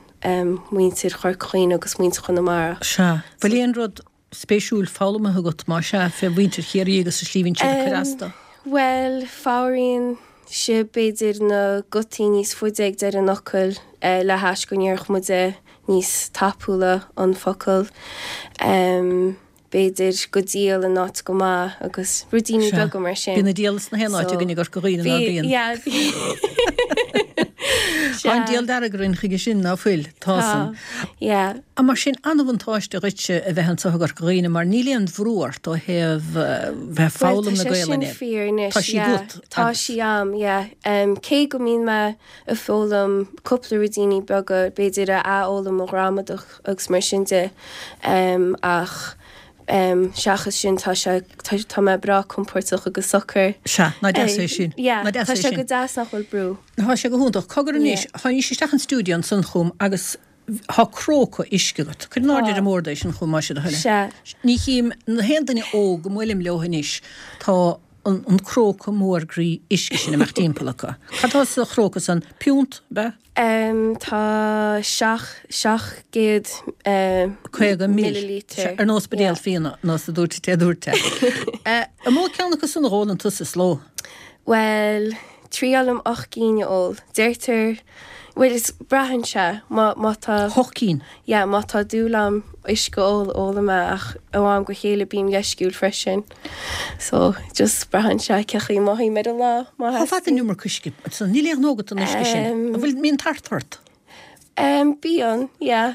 muintir Chorca Dhuibhne agus muintir Chonamara. Sea. Bhfuil aon rud spéisiúil foghlamtha agat, más ea, fé mhuintir Chiarraí agus an tslí a bhíonn siad ag cur astu? Bhuel, fabhraíonn sé b'fhéidir na gutaí níos faide ag deireadh an fhocail le hais go ndéarfadh muide níos tapúla an focal. B'fhéidir go diabhal in áit go maith agus ruidíní Sea. beaga mar sin. Bíonn an diabhal sna haon áit So, againn i gCorca Dhuibhne, ná bhí, bíonn? yeah, bhí. Tá an Sea. diabhal dearg orainn chuige sin, ná fuil? Tá Tá, san. yeah. Ah, mar sin, an-bhuntáiste dhuitse a bheith anseo i gCorca Dhuibhne mar níl aon bhrú ort ó thaobh eh, bheith Bhuel, foghlaim tá na sé sin Gaelainne. fíor anois, Tá sí yeah. agat Tá agus. sí a'm, yeah. Um, cé go mbíonn mé ag foghlaim cúpla ruidíní beaga, b'fhéidir a athfhoghlaim mo ghramadach agus mar sin de, um, ach um, seachas sin tá sé tá, tá mé breá compordach agus socair. Sea, ná deas é Eh, sin. Yeah, Ná deas tá é sé sin. go deas nach bhfuil brú. Tá sé go hiontach. Cogar anois, Yeah. tháinís isteach an stiúideo ansan chugam agus tá cróca uisce agat. Cuir in airde Tá. ar an mbord é sin chugam más é do thoil é. Sea. Ní chím na haon duine óg go mbuailim leo anois, tá an, an cróca mór groí uisce sin amach timpeall acu. Cad tá sa chróca san piúnt, ab ea? Um, tá seach, seacht gcéad um, Caoga mil. millilítear. Ar nós buidéal Yeah. fíona, nós a dúirt te dúirt te. Eh, An mó ceann acu san a ólann tusa sa ló? Well, triailim ocht gcinn a ól. Deirtear, well, is braitheann sé má, má tá Hocht cinn. yeah, má tá dúil a'm uisce a ól ólaim é ach ó am go chéile bím leisciúil freisin. So just braitheann sé cén chaoi a mothaím ar an lá má Tá fad an iomarca uisce, so níl aon ghnó agat an uisce sin. Um, An bhfuil mbíonn tart ort? Um, bíonn, yeah.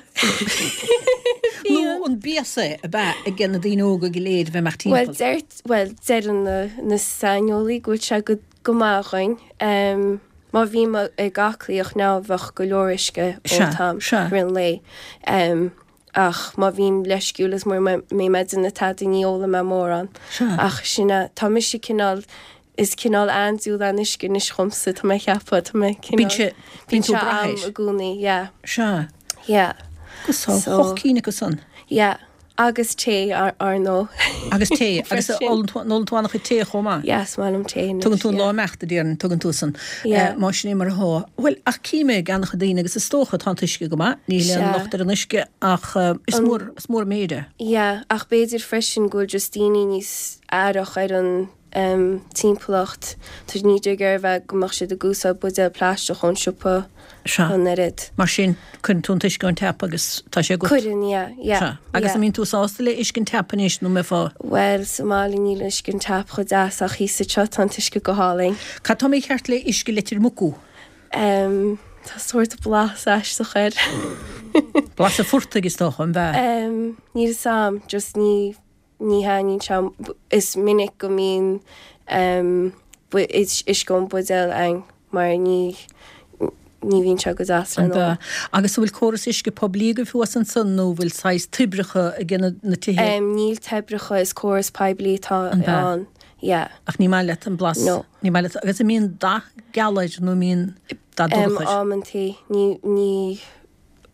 Nó an béas é ab ea ag na daoine óga go léir bheith amach Well, timpeall. deir, well, deireann na, na saineolaí go bhfuil sé go, go maith dhuinn. Um, má bhím ag aclaíocht ná bheadh go leor uisce Sea, ólta sea. rith an lae. Um, ach má bhím leisciúil is mura mbeidh mé ag déanamh tada ní ólaim mé mórán. Sea. Ach sin é, tá mise cineál is cineál andúil an uisce anois dhomsa tá mé ceaptha tá mé Bíonn sé- bíonn tú sé brath am air. i gcónaí, yeah. Sea. Yeah. Agus tá So- hocht cinn acu san. Yeah. Agus tae ar, ar ndóigh. Agus tae, agus Freisin. ólann tú ólann tú an-chuid tae chomh maith. Yes, maith liom tae anois, Tugann tú an yeah. lá imeachta déarfainn, tugann tú san. Yeah. Eh, Má sin é mar atá. Well, ach cím ag an-chuid daoine agus is dócha tá an t-uisce go maith, níl aon Sea. locht ar an uisce ach eh, is mór is mór méid é. Yeah, ach b'fhéidir freisin go bhfuil just daoine níos aireach ar an um, timpeallacht. Tá ní ar bheith go mbeadh siad ag úsáid buidéal plaisteach ón siopa Sea. an oiread. Mar sin cuireann tú an t-uisce ón tap agus tá sé agat. Cuireann, yeah, yeah. Sea. Agus yeah. an mbíonn tú sásta le uisce an tap anois nó mbeifeá. Well, sa mbaile níl uisce an tap chomh deas ach thíos anseo tá an t-uisce go hálainn. Cad tá mícheart le uisce Leitir Mucú? Um, tá sórt blas aisteach air. Blas an phortaigh is dócha an bhea. Um, níl a fhios a'm, just ní ní thaitníonn sé is minic go mbíonn um, uisce ón buidéal ann mar ní ní bhíonn sé go deas An le bhea. Agus bhfuil córas uisce poiblí agaibh thuas ansan nó bhfuil saghas toibreacha ag na na tithe? Um, níl toibreacha is córas poiblí tá An bhea. ann. Yeah. Ach ní maith leat an blas. No. Ní maith leat agus an mbíonn dath geal air nó mbíonn dath Um, dorcha. amantaí ní ní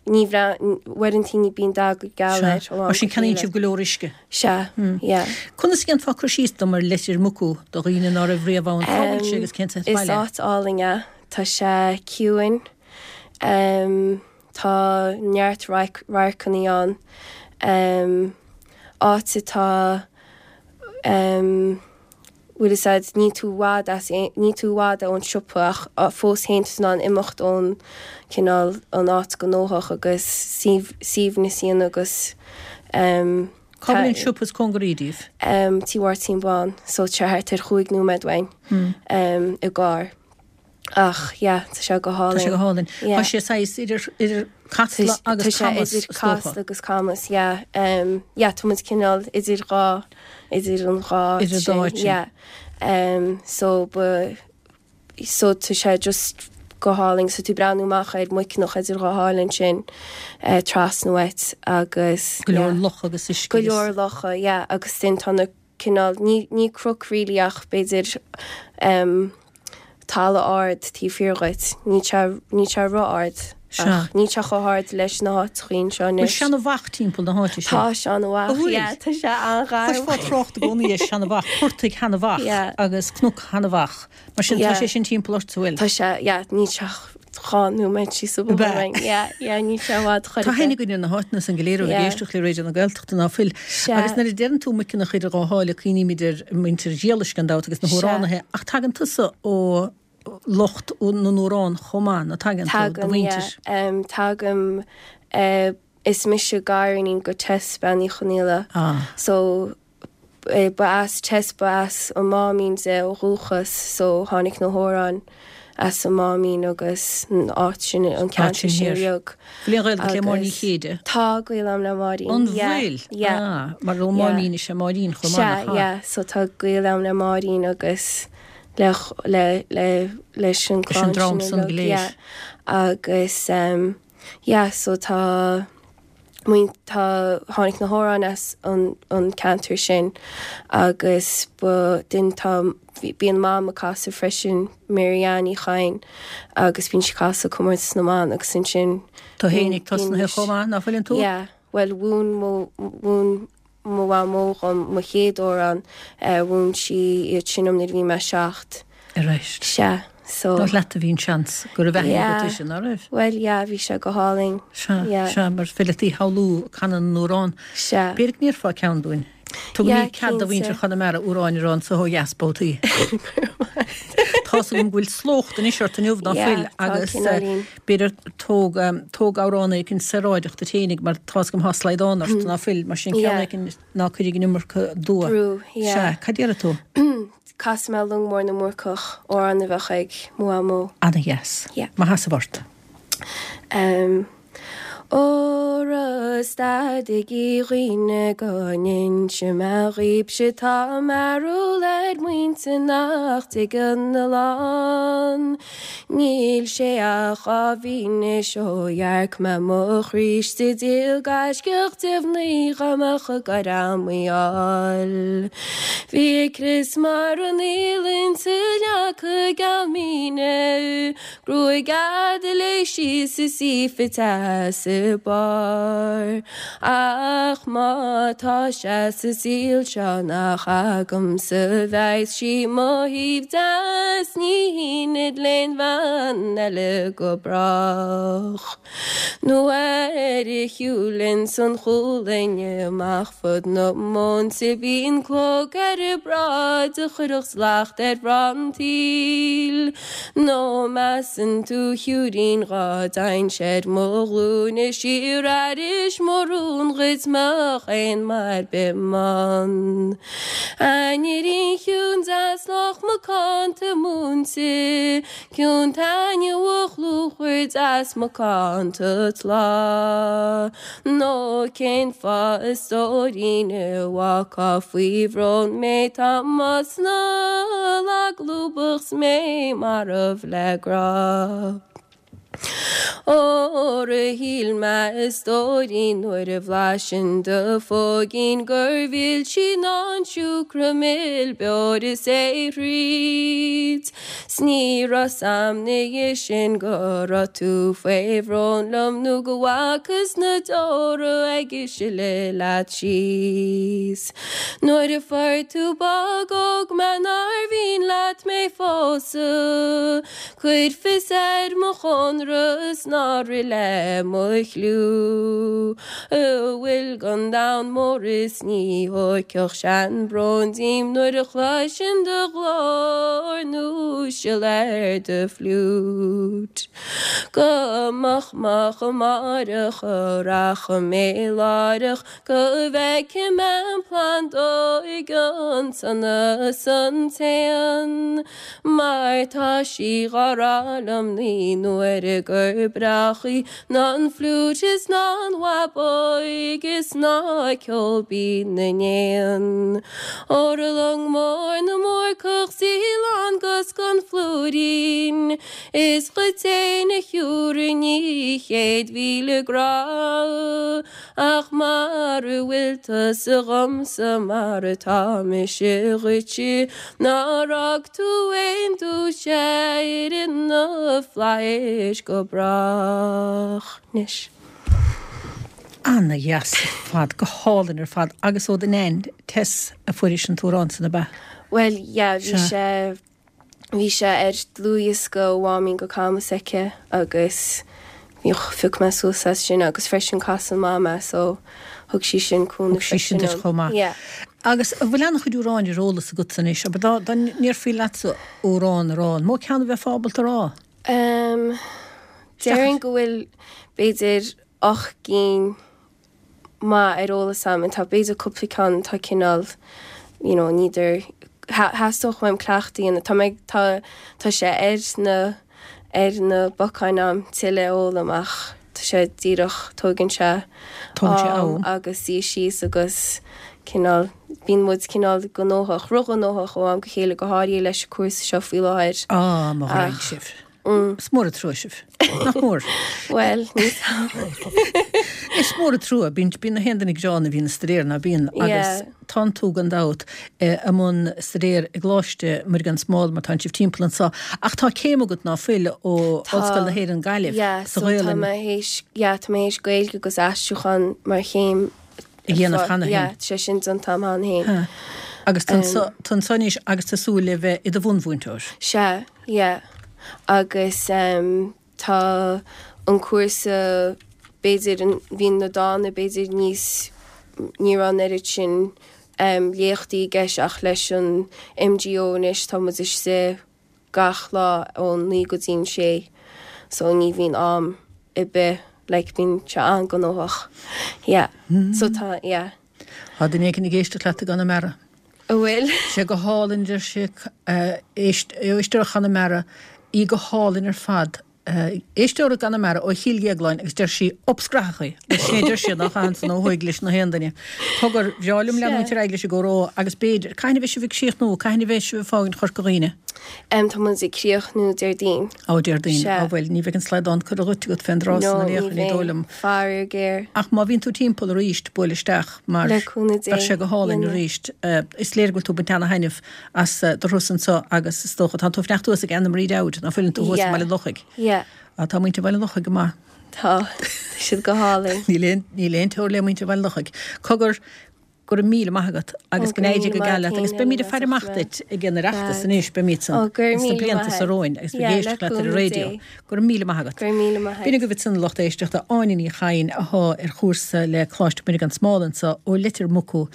ní uaireantaí ní bíonn dath go geal air ó am Mar sin go ceannaíonn chéile. sibh go leor uisce. Sea, yeah. Conas a dhéanfá cur síos dom ar Leitir Mucú do dhaoine ná raibh riamh ann cá bhfuil sé agus cén Is baile. áit álainn é. Tá sé ciúin. Um, tá neart radharcanna ann. Um, áit atá um, bhfuil a fhios ní tú i bhfad as aon- ní tú i bhfad ón siopa ach a- fós féin tú in ann imeacht ón cineál an áit gnóthach agus suaimhneas ann agus um, Cá bhfuil an siopa is cóngaraí daoibh? um, Tí Mháirtín Bán, so tá thart ar chúig nóiméad uainn um, i gcarr. Ach yeah, tá sé go Tá sé go hálainn. hálainn. Yeah. Tá sé saghas idir idir Casla agus Tá sé Camas idir is dócha. Casla agus Camas, yeah. Um, yeah, tá muid cineál idir dhá idir an dhá Idir sin, dá áit sin. Yeah. Um, so ba so tá sé just go hálainn, so tú breathnú amach ar Mhuiceanach idir dhá hálainn sin uh, trasna uait agus Go leor yeah. loch agus uisce. Go leor locha, yeah, agus sin tá na cineál ní ní cnoc really ach b'fhéidir um, talamh ard taobh thiar dhuit, ní sé ní sé ró-ard. Sea. Ach ní sé chomh hard leis na háiteacha seo Bhfuil anois. seanamhach timpeall na háite sin? Tá seanamhach, An bhfuil? yeah, tá sé an-ghar. Chloisfeá trácht i gcónaí ar seanamhach, portaigh sheanamhach Yeah. agus cnoc sheanamhach. Mar sin tá Yeah. sé sin timpeall ort bhfuil. Tá sé, yeah, ní sé dhá nóiméad síos an bóthar uainn. Yeah, yeah, níl sé i bhfad chor Tá ar bith. aithne againn ar na háiteanna san go léir ó Yeah. ag éisteacht le Raidió na Gaeltachta ná fuil. Sea. Agus nuair a deireann tú muiceanach idir dhá sháile cuimhnímid ar muintir Ghiallais gan dabht agus na Sea. hamhránaithe, ach tagann tusa ó lucht na n-amhrán chomh maith, nó tagann tú do Tagaim, mhuintir. yeah. Um, tagaim, uh, is mise gariníon go Tess Bean Uí Chonghaile. Ah. So eh, ba as Tess ba as an Máimín de ó dhúchas, so tháinig na hamhráin as an Máimín agus an áit sin an ceantar sin sin thiar. beag. Bhfuil aon ghaol agat le Máirín Ní Agus Chéide? Tá gaol agam le Máirín. An Yeah, bhfuil? yeah. Ah, mar ó Yeah. Máimín is ea Máirín chomh maith, Sea, nach ea? yeah, so tá gaol agam le Máirín agus le le le leis an Leis an clann dream sin san go uilig, léir. yeah. Agus um, yeah, so tá muin tá tháinig na hamhráin as an an ceantar sin agus ba din tá bíonn mam ag casadh freisin Marianne Ní Chadhain agus bíonn sí ag casadh comórtas na mban agus ansin Tá bíonn- féin ag tosnaithe bíonn chomh maith, ná fuileann tú? Yeah, well mhúin mo mhúin mo mhamó dhom mo chéad amhrán eh, mhúin sí iad sin dom nuair a bhí mé seacht. Arís. Sea, so Nach leat a bhí an seans go raibh aithne Yeah. agat uirthi, ná raibh? Well, yeah, bhí sé go hálainn. Sea, Yeah. sea, mar fileataí shamhlú canadh na n-amhrán. Sea. B'fhéidir go ndéarfá ceann dúinn. Tugaimid Yeah, cead do mhuintir cinnte. Chonamara amhráin a rá anseo ó dheas babhtaí. Tá agam go bhfuil slócht anois ort inniu ná Yeah, fuil tá agus eh, cineáilín. b'fhéidir tóg um, tóg amhrán éicint saoráideach duit féinig mar tá agam tá slaghdán ort ná fuil mar sin ceann Yeah. éicint ná cuirfidh an iomarca dua. Brú, yeah. Sea, cad déarfaidh tú? Casfaidh mé Long Mór na mBúrcach amhrán a bheadh ag mo mhamó. Ana-dheas. Yeah. Má sheasamh ort. Um, Óra stadaigí a dhaoine go n-inse mé dhaoibhse tá mearbhall ar mhuintir nach dtuigeann a lán. Níl sé ach dhá mhí anois ó dhearc mé mo Chríost sa díol gaiscíoch de mhnaoi dhá mbeadh ag goil mo fháil. Bhí a crios mar an fhaoileann 's a leaca geal míne, Gruaig fhada léi síos is í fite sa barr. Ach má tá sé sa saol seo nach agamsa bheas sí mo thaobh deas ní haoinfead l'aon bhean eile go brách. Nuair a shiúlanns an chúlainn amach fud na móin sa bíonn clog ar a bráid a chuirfeadh slacht ar mhná an tsaoil. Nó measann tú a shiúirín dhá dtagainnse ar mo ghlúine siar aris mo rún dhuit mbeadh aon maith ar bith m'ann. Ainirín chiúin deas lách macánta múinte, ciúin taitneamhach lúfar deas macánta tláth. Nó cén fáth a stóirín a bhfágfá faoi bhrón mé tá mo snáth lag lúbach 's mé marbh le grá. Óra shíl mé a stóirín nuair a bhlaisinn do phóigín gur mhilse ná an siúcra mil beoir is é thríd. 'S ní raibh 's a'm ina dhiaidh sin go raibh tú faoi bhrón liom nó go bhfacthas na deora ag sileadh leat síos. Nuair a fuair tú bog óg mé nár mhian leat mé phósadh, Cuir fios ar mo chónra 's ná rith le mo chliú. A bhfuil gon domhan mór is ní thóigfeadh sé an brón díom nuair a chloisinn do ghlór nó sil ar do fhliúit. Go moch moch amárach a rachaidh mé láithreach go bhfeicfidh mé an phlandóig an sonas an t-éan, mar tá sí dhá rá liom naoi n-uaire gur breágh í ná an fhliúit is ná an bhábóg is ná ceol binn na n-éan. Óra long mór na mBúrcach 's í lán gus gon phlúirín, is dhuit fhéin a thiúrfainn í céad mhíle grá, ach mar a bhfuil tusa dhomsa mar atá mise dhuitse, nár fhág tú aon duais ar na flaithis go brách anois. Ana-dheas ar fad, go hálainn ar fad, agus ó do Nain Tess a fuairis an t-amhrán san ab ea? Well, yeah, bhí Sea. sé bhí sé ar dlúthdhiosca ó Mháimín go Camas aici agus bhíodh phioc mé suas as sin agus freisin casann Mam é so thug sí sin cúnamh Thug sí sin freisin duit dom. chomh maith. Yeah. Agus an bhfuil an-chuid amhráin ar eolas agat anois, abair dá dá ndéarfaí leatsa amhrán a rá, an mó ceann a bheifeá ábalta a rá? Um, déarfainn go bhfuil b'fhéidir ocht gcinn maith ar eolas a'm, tá b'fhéidir cúpla ceann atá cineál you know, níidir theastódh uaim cleachtadh a dhéanamh. Tá mé tá tá sé ar na ar na bacáin a'm tuilleadh a fhoghlaim ach tá sé díreach tógann sé Tógann sé am am. agus suí síos agus cineál bíonn muid cineál gnóthach, róghnóthach ó am go chéile go háirithe leis an cúrsa seo faoi láthair. Á, mo ghraidhin Ach sibh. Is mór an trua sibh. Nach mór? Bhuel, ní Is mór an trua, bíonn bíonn na haon duine gránna a bhíonn ag staidéar ná bíonn agus Yeah. tánn tú gan dabht i mbun staidéir i gColáiste Muire gan Smál mar tánn sibh timpeall anseo. Ach tá céim agat ná fuil ó Tá Ollscoil na hÉireann Gaillimh Yeah, sa so tá Ghaelainn. mé théis yeah, tá mé théis Gaeilge agus aistriúchán mar chéim A dhéanamh cheana féin. Yeah, sé sin déanta a'm cheana féin. Ha. Agus tá anso anois agus tá súil le bheith i do bhunmhúinteoir. Sea, yeah. Agus um, tá an cúrsa b'fhéidir an bhí na dána b'fhéidir níos ní raibh an oiread sin um, léachtaí i gceist ach leis an MGO anois tá muid istigh gach lá ón naoi go dtí an sé so ní bhíonn am ar bith like bíonn sé an-ghnóthach. Yeah. So tá yeah. Tá duine éigin ag éisteacht leat i gConamara. An bhfuil? Sé go hálainn deir sé éisteoir Chonamara í go hálainn ar fad. Éisteoir i gConamara ó Chill Dhéagláin agus deir sí opscrathachaí, agus sin é deir siad nach ansan ó thuaidh leis na haon duine. Cogar bhreá liom leanúint ar aghaidh leis an gcomhrá agus b'fhéidir, cathain a bheidh sibh ag críochnú, cathain a bheidh sibh ag fágaint Chorca Dhuibhne? Um, tá muid ag críochnú Déardaoin. Ó Déardaoin, Sea. á bhuel, ní bheidh an slaghdán curtha dhuit agat fén dtráth No, san ní in aon chor, ní dóigh liom. bheidh. Faraor géar. Ach má bhíonn tú timpeall arís, buail isteach mar Le cúnamh Dé, bheadh sé go hálainn dhéanamh. arís. Eh, Is léir go bhfuil tú ag baint ana-thaitneamh as eh, do thuras anseo agus is dócha tá tú ag fanacht thuas ag Anna Marie Dowd, ná fuileann tú thuas i Yeah. mBaile Lochaigh. Yeah. Á, tá muintir Bhaile Lochaigh go maith. Tá, tá siad go hálainn. Níl aon níl aon teora le muintir Bhaile Lochaigh. Cogar go raibh míle maith agat agus Ó, go n-éirí go go míle geal maith leat agus féin, beimid ag Ellen, faire amach as duit ag an Oireachtas Bad. anois beimid san Ó, go raibh sna míle blianta maith seo romhainn agus Yeah, beidh le éisteacht leat ar an cúnamh raidió. Dé. Go raibh míle maith agat. Go raibh míle maith B'in agaibh ansin lucht éisteachta Áine Ní Chadhain atá ar chúrsa le Coláiste Muire gan Smál anseo ó Leitir Mucú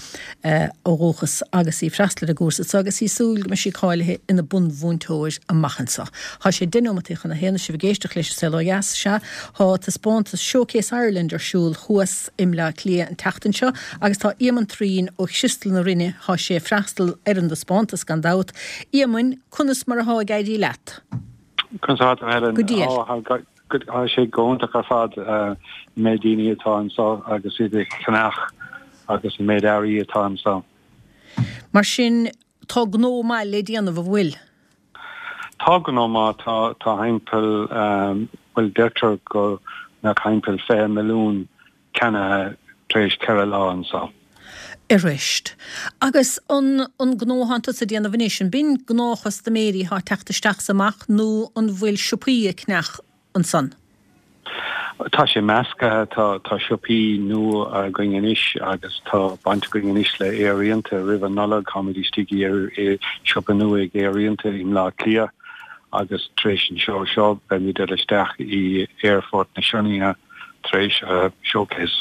eh, ó dhúchas agus í ag freastal ar an gcúrsa seo agus í ag súil go mbeidh sí cáilithe ina bunmhúinteoir amach anseo. Tá sé deich nóiméad chun a haon sibh ag éisteacht leis an Saol Ó Dheas sea tá taispeántas Showcase Ireland ar siúl thuas i mBleá Cliath an tseachtain seo agus tá Éamonn Trín ó Chriostal na Rinne tá sé ag freastal ar an taispeántas gan dabht. Éamonn, conas mar atá ag éirí leat. Conas atá tú Helen Go diail. Ó, tá go- tá sé go hiontach ar fad eh, méid daoine atá anseo agus iad ag ceannach agus an méid earraí atá anseo. Mar sin tá gnó maith le déanamh an bhfuil. Tá gnó maith tá tá timpeall um, bhuel deirtear go mbeadh timpeall fiche milliún ceannaithe tar éis ceithre lá anseo. Arís. Agus an an gnó atá tusa a dhéanamh anois an b'in gnáthchustaiméirí atá ag teacht isteach is amach nó an bhfuil siopaí ag ceannach ansan. Tá sé measctha tá tá siopaí nua againn anois agus tá baint againn anois le Aer Rianta roimh an Nollaig táimid istigh ar i siopa nua ag Aer Rianta i mBleá Cliath agus tar éis an seó seo beimid dul isteach i Aerfort na Sionainne tar éis uh, showcase.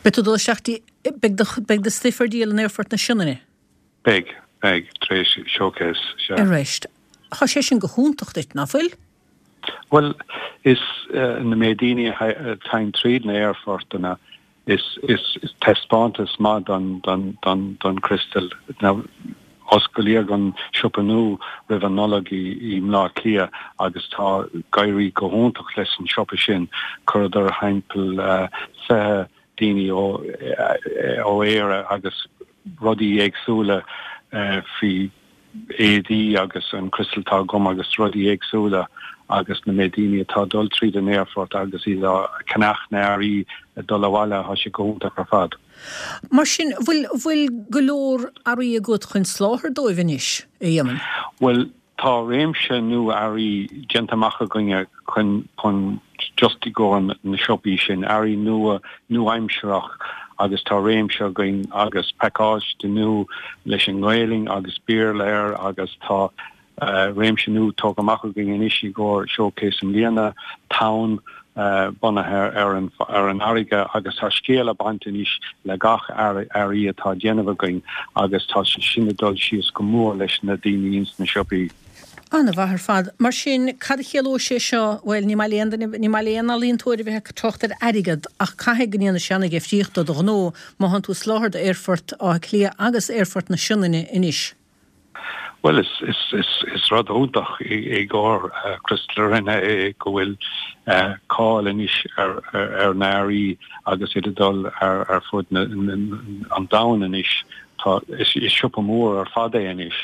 Beidh tú dul isteach dtí beidh do beidh do stuif ar díol in Aerfort na Sionainne. Beidh beidh tar éis showcase sea. Arís. Tá sé sin go hiontach duit ná fuil? Well is uh, na méid daoine atá tríd na aerfortanna is is is taispeántas maith don don don don Crystal Now osclaíodh an siopa nua roimh an Nollaig i i mBleá Cliath agus tá ag éirí go hiontach leis an siopa sin chuireadar timpeall uh, fiche daoine ó eh, ó Éire agus rudaí éagsúla uh, faoi éadaí agus an crystal tá agam agus rudaí éagsúla agus na méid daoine atá dul tríd an aerfort agus iad ag ceannach na n-earraí dul abhaile tá sé go hiontach ar fad. Mar sin bhfuil bhfuil go leor earraí agat chun soláthar dóibh anois a Éamoinn. Well tá réimse nua earraí déanta amach againne chun chun just i gcomhair na siopaí sin earraí nua nua-aimsearach agus tá réimse againn agus pacáiste nua leis an nGaelainn agus Béarla air agus tá réimse nua tógtha amach againn anois i gcomhair Showcase i mbliana, Tonn, bunaithe ar an ar an fharraige agus tá scéal ag baint anois le gach earraí atá á déanamh againn agus tá sé sin ag dul síos go mór leis na daoine ins na siopaí. An-mhaith ar fad. Mar sin, cad a chiallóidh sé seo? Bhuel, ní maith le aon duine, ní maith le aon ealaíontóir a bheith ag trácht ar airgead ach caithfidh go ndéanfaidh sé an-difríocht do do ghnó má thánn tú ag soláthar d'Aerfort Átha Cliath agus Aerfort na Sionainne anois. Bhuel, is, is, is, is rud iontach i gcomhair Criostal na Rinne é go bhfuil cáil anois ar, ar, ar na hearraí agus iad ag dul ar, ar fud na, na, an domhain anois. Tá, is, is siopa mór ar fad é anois.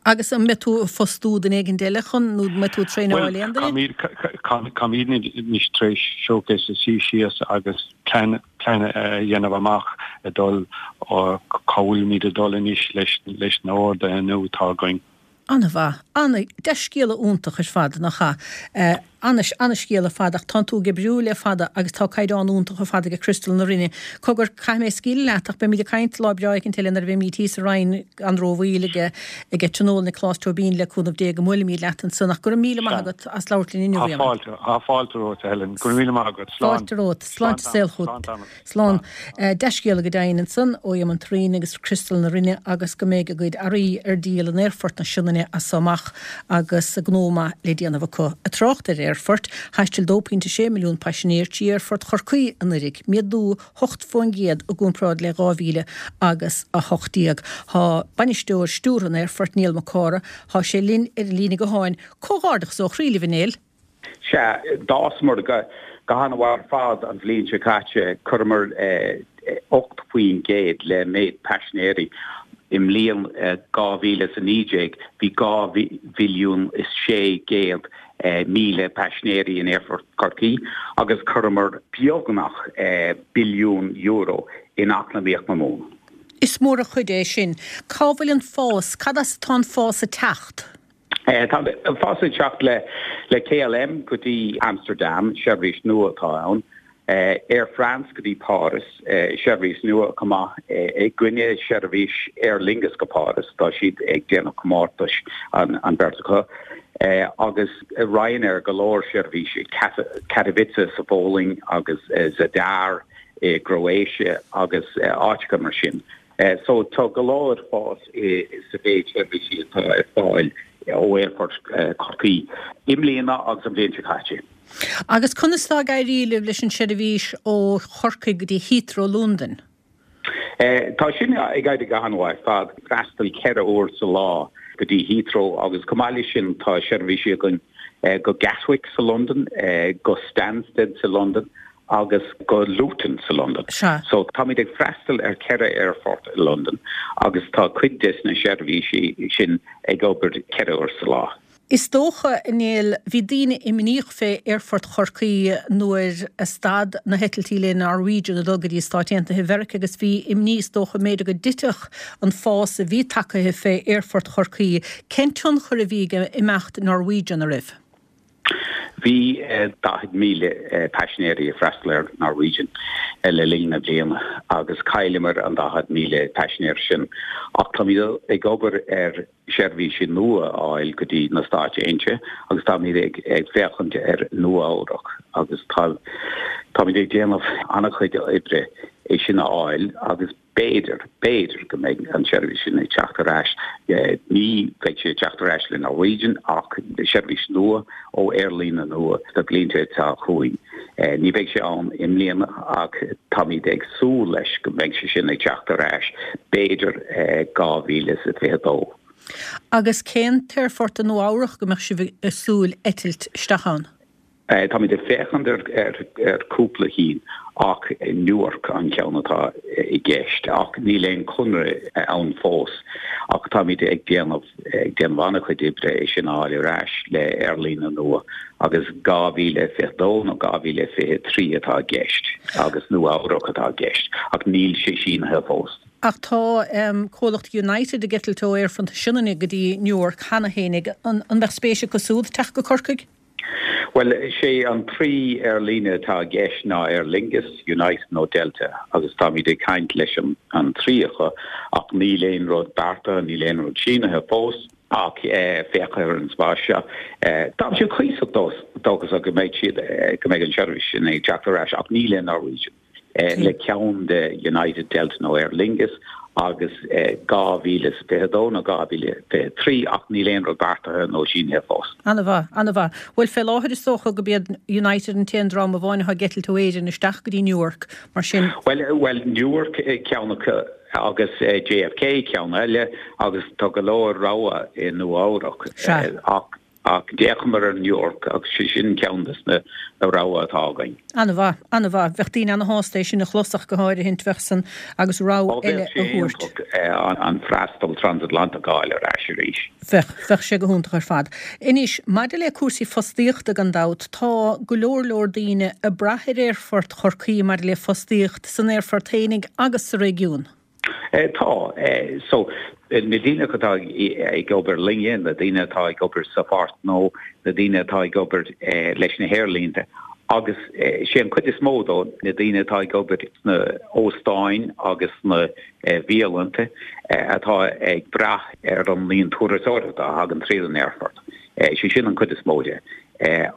Agus an mbeidh tú ag fostú duine éigin eile chun, nó an mbeidh tú ag traenáil aon duine? Bhuel, táimid anois tar éis Showcase a suí síos agus plean plean a dhéanamh amach ag dul cá bhfuilimid ag dul anois leis leis na horduithe nua atá againn. An-mhaith. Ana, dea-scéala iontach ar fad, nach ea? Ana, ana-scéal ar fad ach tánn tú ag oibriú le fada agus tá caighdeán iontach ar fad ag Criostal na Rinne. Cogar, caithfidh mé scaoileadh leat ach beimid ag caint lá breá éicint eile nuair a bheimid thíos sa Rinn gan rómhoill ag ag Tionól Niocláis Tóibín le cúnamh Dé go mbuailfimid leat ansan ach go raibh míle maith agat as labhairt linn inniu, Tá Éamonn. fáilte, tá fáilte romhat, a Helen. Go raibh míle maith agat. Slán. Fáilte romhat. Sláinte saol Slán chugat. tamall. Slán. Dea-scéala go deimhin ansan ó Éamonn Thureen agus Criostal na Rinne agus go mbeidh a gcuid earraí ar díol in Aerfort na Sionainne as so amach agus gnó maith le déanamh acu. Ag trácht ar aerfoirt, thaistil dó pointe sé milliún paisinéir trí Aerfort Chorcaí anuraidh, méadú hocht faoin gcéad i gcomparáid le dhá mhíle agus a hocht déag. Tá bainisteoir stiúrtha an aerfoirt, Niall Mac Cárthaigh, tá sé linn ar an líne gutháin. Comhghairdeachas ó chroí libh, a Néill. Sea, d'fhásamar go han-mhaith ar fad an bhliain seo caite. Chuireamar ocht faoin gcéad le méid paisinéirí. I mbliain dhá mhíle is a naoi déag bhí dhá mhilliún is sé gcéad míle paisinéirí in Aerfort Chorcaí agus chuireamar beagnach billiún euro in eacnamaíocht na Mumhan. Is mór an chuid é sin. Cá bhfuil an fás? Cad as atá an fás ag teacht? Tá an fás ag teacht le le K L M go dtí Amsterdam, seirbhís nua atá ann, Air France go dtí Páras, seirbhís nua chomh maith, i gcoinne seirbhís Aer Lingus go Páras, tá siad ag déanamh comórtais an an bheirt acu, agus Ryanair go leor seirbhísí, Katowice sa Pholainn agus Zadar i gCroatia agus áiteacha mar sin. So tá go leor fás sa mhéid seirbhísí atá ar fáil ó Aerfort Chorcaí i mbliana agus an bhliain seo caite. Agus conas atá ag éirí libh leis an seirbhís ó Chorcaigh go dtí Heathrow Londain? Tá sin ag éirí go han-mhaith ar fad, freastal ceithre uair sa lá go dtí Heathrow agus chomh maith leis sin tá seirbhísí againn go Gatwick sa Londain, go Stansted sa Londain agus go Luton sa Londain. So táimid ag freastal ar ceithre aerfort i Londain agus tá cuid des na seirbhísí sin ag obair ceithre uair sa lá. Is dócha, a Néill, bhí daoine imníoch fé Aerfort Chorcaí nuair a stad na heitiltí le Norwegian ag dul go dtí Stáit Aontaithe Mheiriceá agus bhí imní is dócha mb'fhéidir go dtitfeadh an fás a bhí tagtha fé Aerfort Chorcaí. Cén tionchar a bhí ag imeacht Norwegian oraibh? Bhí daichead míle paisinéirí ag freastal ar Norwegian le linn na bliana agus chailleamar an daichead míle paisinéir sin ach táimid ag obair ar seirbhísí nua a fháil go dtí na Stáit Aontaithe agus táimid ag ag féachaint ar Nua Eabhrac agus tá táimid ag déanamh an-chuid oibre é sin a fháil agus B'fhéidir, b'fhéidir go mbeidh an tseirbhís sin ag teacht ar ais. Ní bheidh sé ag teacht ar ais le Norwegian ach seirbhís nua ó aerlíne nua sna blianta atá chugainn. Ní bheidh sé ann i mbliana ach táimid ag súil leis go mbeidh sé sin ag teacht ar ais, b'fhéidir dhá mhíle is a fiche dó. Agus cén t-aerfort i Nua Eabhrach go mbeadh sibh ag súil eitilt isteach ann? Táimid ag féachaint ar chúpla cinn ach Newark an ceann atá i gceist ach níl aon chonradh ann fós ach táimid ag déanamh ag déanamh an-chuid oibre é sin a fháil ar ais le aerlíne nua agus dhá mhíle fiche dó nó dhá mhíle fiche trí atá i gceist agus Nua Eabhrac atá i gceist ach níl sé sínithe fós. Ach tá comhlacht United ag eitilt ó Aerfort na Sionainne go dtí Newark cheana féinig. An mbeadh spéis acu siúd teacht go Corcaigh? Bhuel, sé an trí aerlíne atá i gceist ná Aer Lingus, United nó Delta agus táimid ag caint leis an an trí acu ach níl aon rud beartaithe, níl aon rud sínithe fós Ach féach ar an spás seo. Tá siad cuíosach dóchasach go mbeidh siad, go mbeidh an tseirbhís sin ag teacht ar ais ach ní le Norwegian, le ceann de United, Delta nó Aer Lingus agus dhá mhíle is fiche dó nó dhá mhíle fiche trí ach níl aon rud beartaithe nó sínithe fós. An-mhaith, an-mhaith. Bhuel, fé láthair is dócha go b'iad United an t-aon dream amháin atá ag eitilt ó Éirinn isteach go dtí Newark, mar sin. Bhuel, bhuel, Newark ceann acu agus J F K ceann eile agus tá go leor rogha i Nua Eabhrac ach ach d'fhéachamar ar Newark agus sé sin ceann des na rogha atá againn. An-mhaith, an-mhaith. Bheadh daoine ana-shásta é sin a chlos ach go háirithint, bheadh san agus rogha eile a thabhairt. An freastal transatlantach a fháil ar ais arís. Bheadh, bheadh sé go hiontach ar fad. Anois, maidir le cúrsaí fostaíochta gan dabht, tá go leor leor daoine ag brath ar Aerfort Chorcaí maidir le fostaíocht san aerfort fhéinig agus sa réigiún. Tá. So, na daoine atá ag obair linne, na daoine atá ag obair sa pháirt nó na daoine atá ag obair leis na haerlínte agus sé an chuid is mó dó na daoine atá ag obair sna óstáin agus sna bialanta atá ag brath ar an líon turasóireachta a thagann tríd an aerfort. Sé sin an chuid is mó de.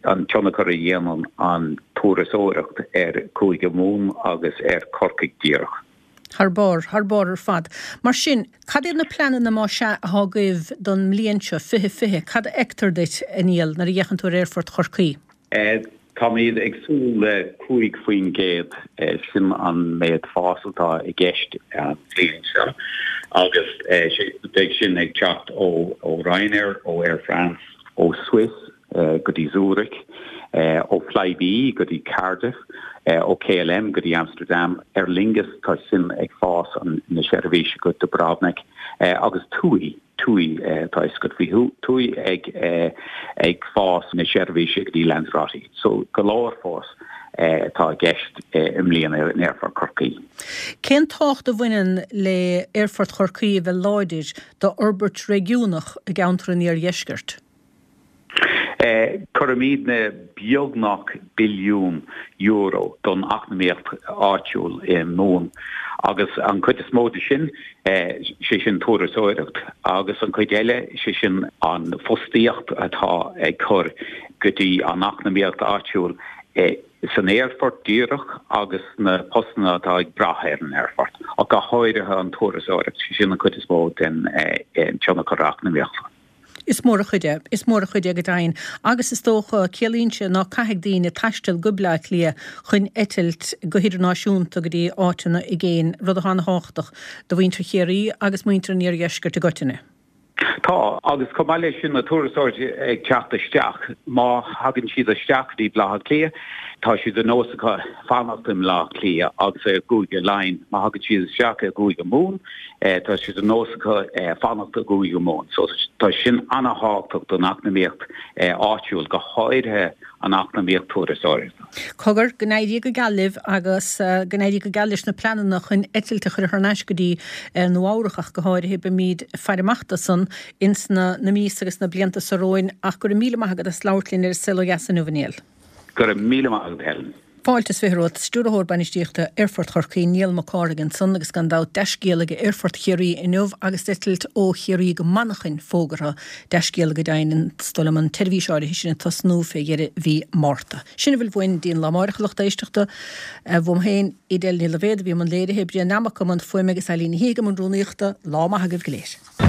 An tionchar a dhéanann an turasóireacht ar Chúige Mumhan agus ar Chorcaigh díreach. Thar barr, thar barr ar fad. Mar sin, cad iad na pleananna más ea atá agaibh don mbliain seo, fiche fiche? Cad a fheictear duit, a Niall, nuair a fhéachann tú ar Aerfort Chorcaí? Táimid ag súil le cúig faoin gcéad, sin an méid fás atá i gceist an bhliain seo agus beidh sin ag teacht ó Ryanair, ó Air France, ó Swiss go dtí Zurich, ó Flybe go dtí Cardiff, ó K L M go dtí Amsterdam, Aer Lingus tá sin ag fás an na seirbhíse go Dubrovnik agus TUI TUI tá a fhios agat faoi TUI ag ag fás na seirbhíse go dtí Lanzarote. So go leor fás atá i gceist i mbliana in Aerfort Chorcaí. Cén tábhacht a bhaineann le Aerfort Chorcaí a bheith láidir d'fhorbairt réigiúnach i gceantar an Iardheiscirt? Cuirimidne beagnach billiún euro don eacnamaíocht áitiúil i Mumhan agus an chuid is mó de sin, sé sin turasóireacht agus an chuid eile, sé sin an fostaíocht atá ag cur go dtí an eacnamaíocht áitiúil san aerfort díreach agus na postanna atá ag brath ar an aerfort, ach go háirithe an turasóireacht, sé sin an chuid is mó den tionchar eacnamaíochta. Is mór an chuid é, is mór an chuid é go deimhin. Agus is dócha, ciallaíonn sé ná caithfidh daoine taisteal go Bleá Cliath chun eitilt go hidirnáisiúnta go dtí áiteanna i gcéin, rud atá an-thábhachtach do mhuintir Chiarraí agus muintir an iardheiscirt i gcoitinne. Tá, agus chomh maith leis sin, na turasóirí ag teacht isteach, má thagann siad isteach go dtí Baile Átha Cliath, tá sé de nós acu fanacht i mBaile Átha Cliath agus i gCúige Laighean. Má thagann siad isteach i gCúige Mumhan, tá sé de nós acu fanacht i gCúige Mumhan. So tá sin an-thábhachtach don eacnamaíocht áitiúil, go háirithe an eacnamaíocht turasóireachta. Cogar, go n-éirí go geal libh agus go n-éirí go geal leis na pleananna chun eitilt a chur thar n-ais go dtí Nua Eabhrac ach go háirithe. Beimid ag faire amach dó san ins na na míosa agus na blianta seo romhainn ach go raibh míle maith agat as labhairt linn ar An Saol Ó Dheas inniu, a Niall. Go raibh míle maith agat, Helen. Fáilte is fiche romhat, Stiúrthóir Bainistíochta Aerfort Chorcaí, Niall Mac Cárthaigh ansan agus gan dabht dea-scéala ag Aerfort Chiarraí inniu agus eitilt ó Chiarraí go Manchain fógartha. Dea-scéala go deimhin, is dóigh liom an tseirbhís áirithe sin ag tosnú fé dheireadh mhí Márta. Sin a bhfuil uainn go dtí an lá amáireach, a lucht éisteachta. Uaim féin, Edel Ní Loibhéad a bhí i mbun léirithe, Brian Nammock i mbun fuaime agus Eileen Ní Shíthigh i mbun rúnaíochta. Lá maith agaibh go léir.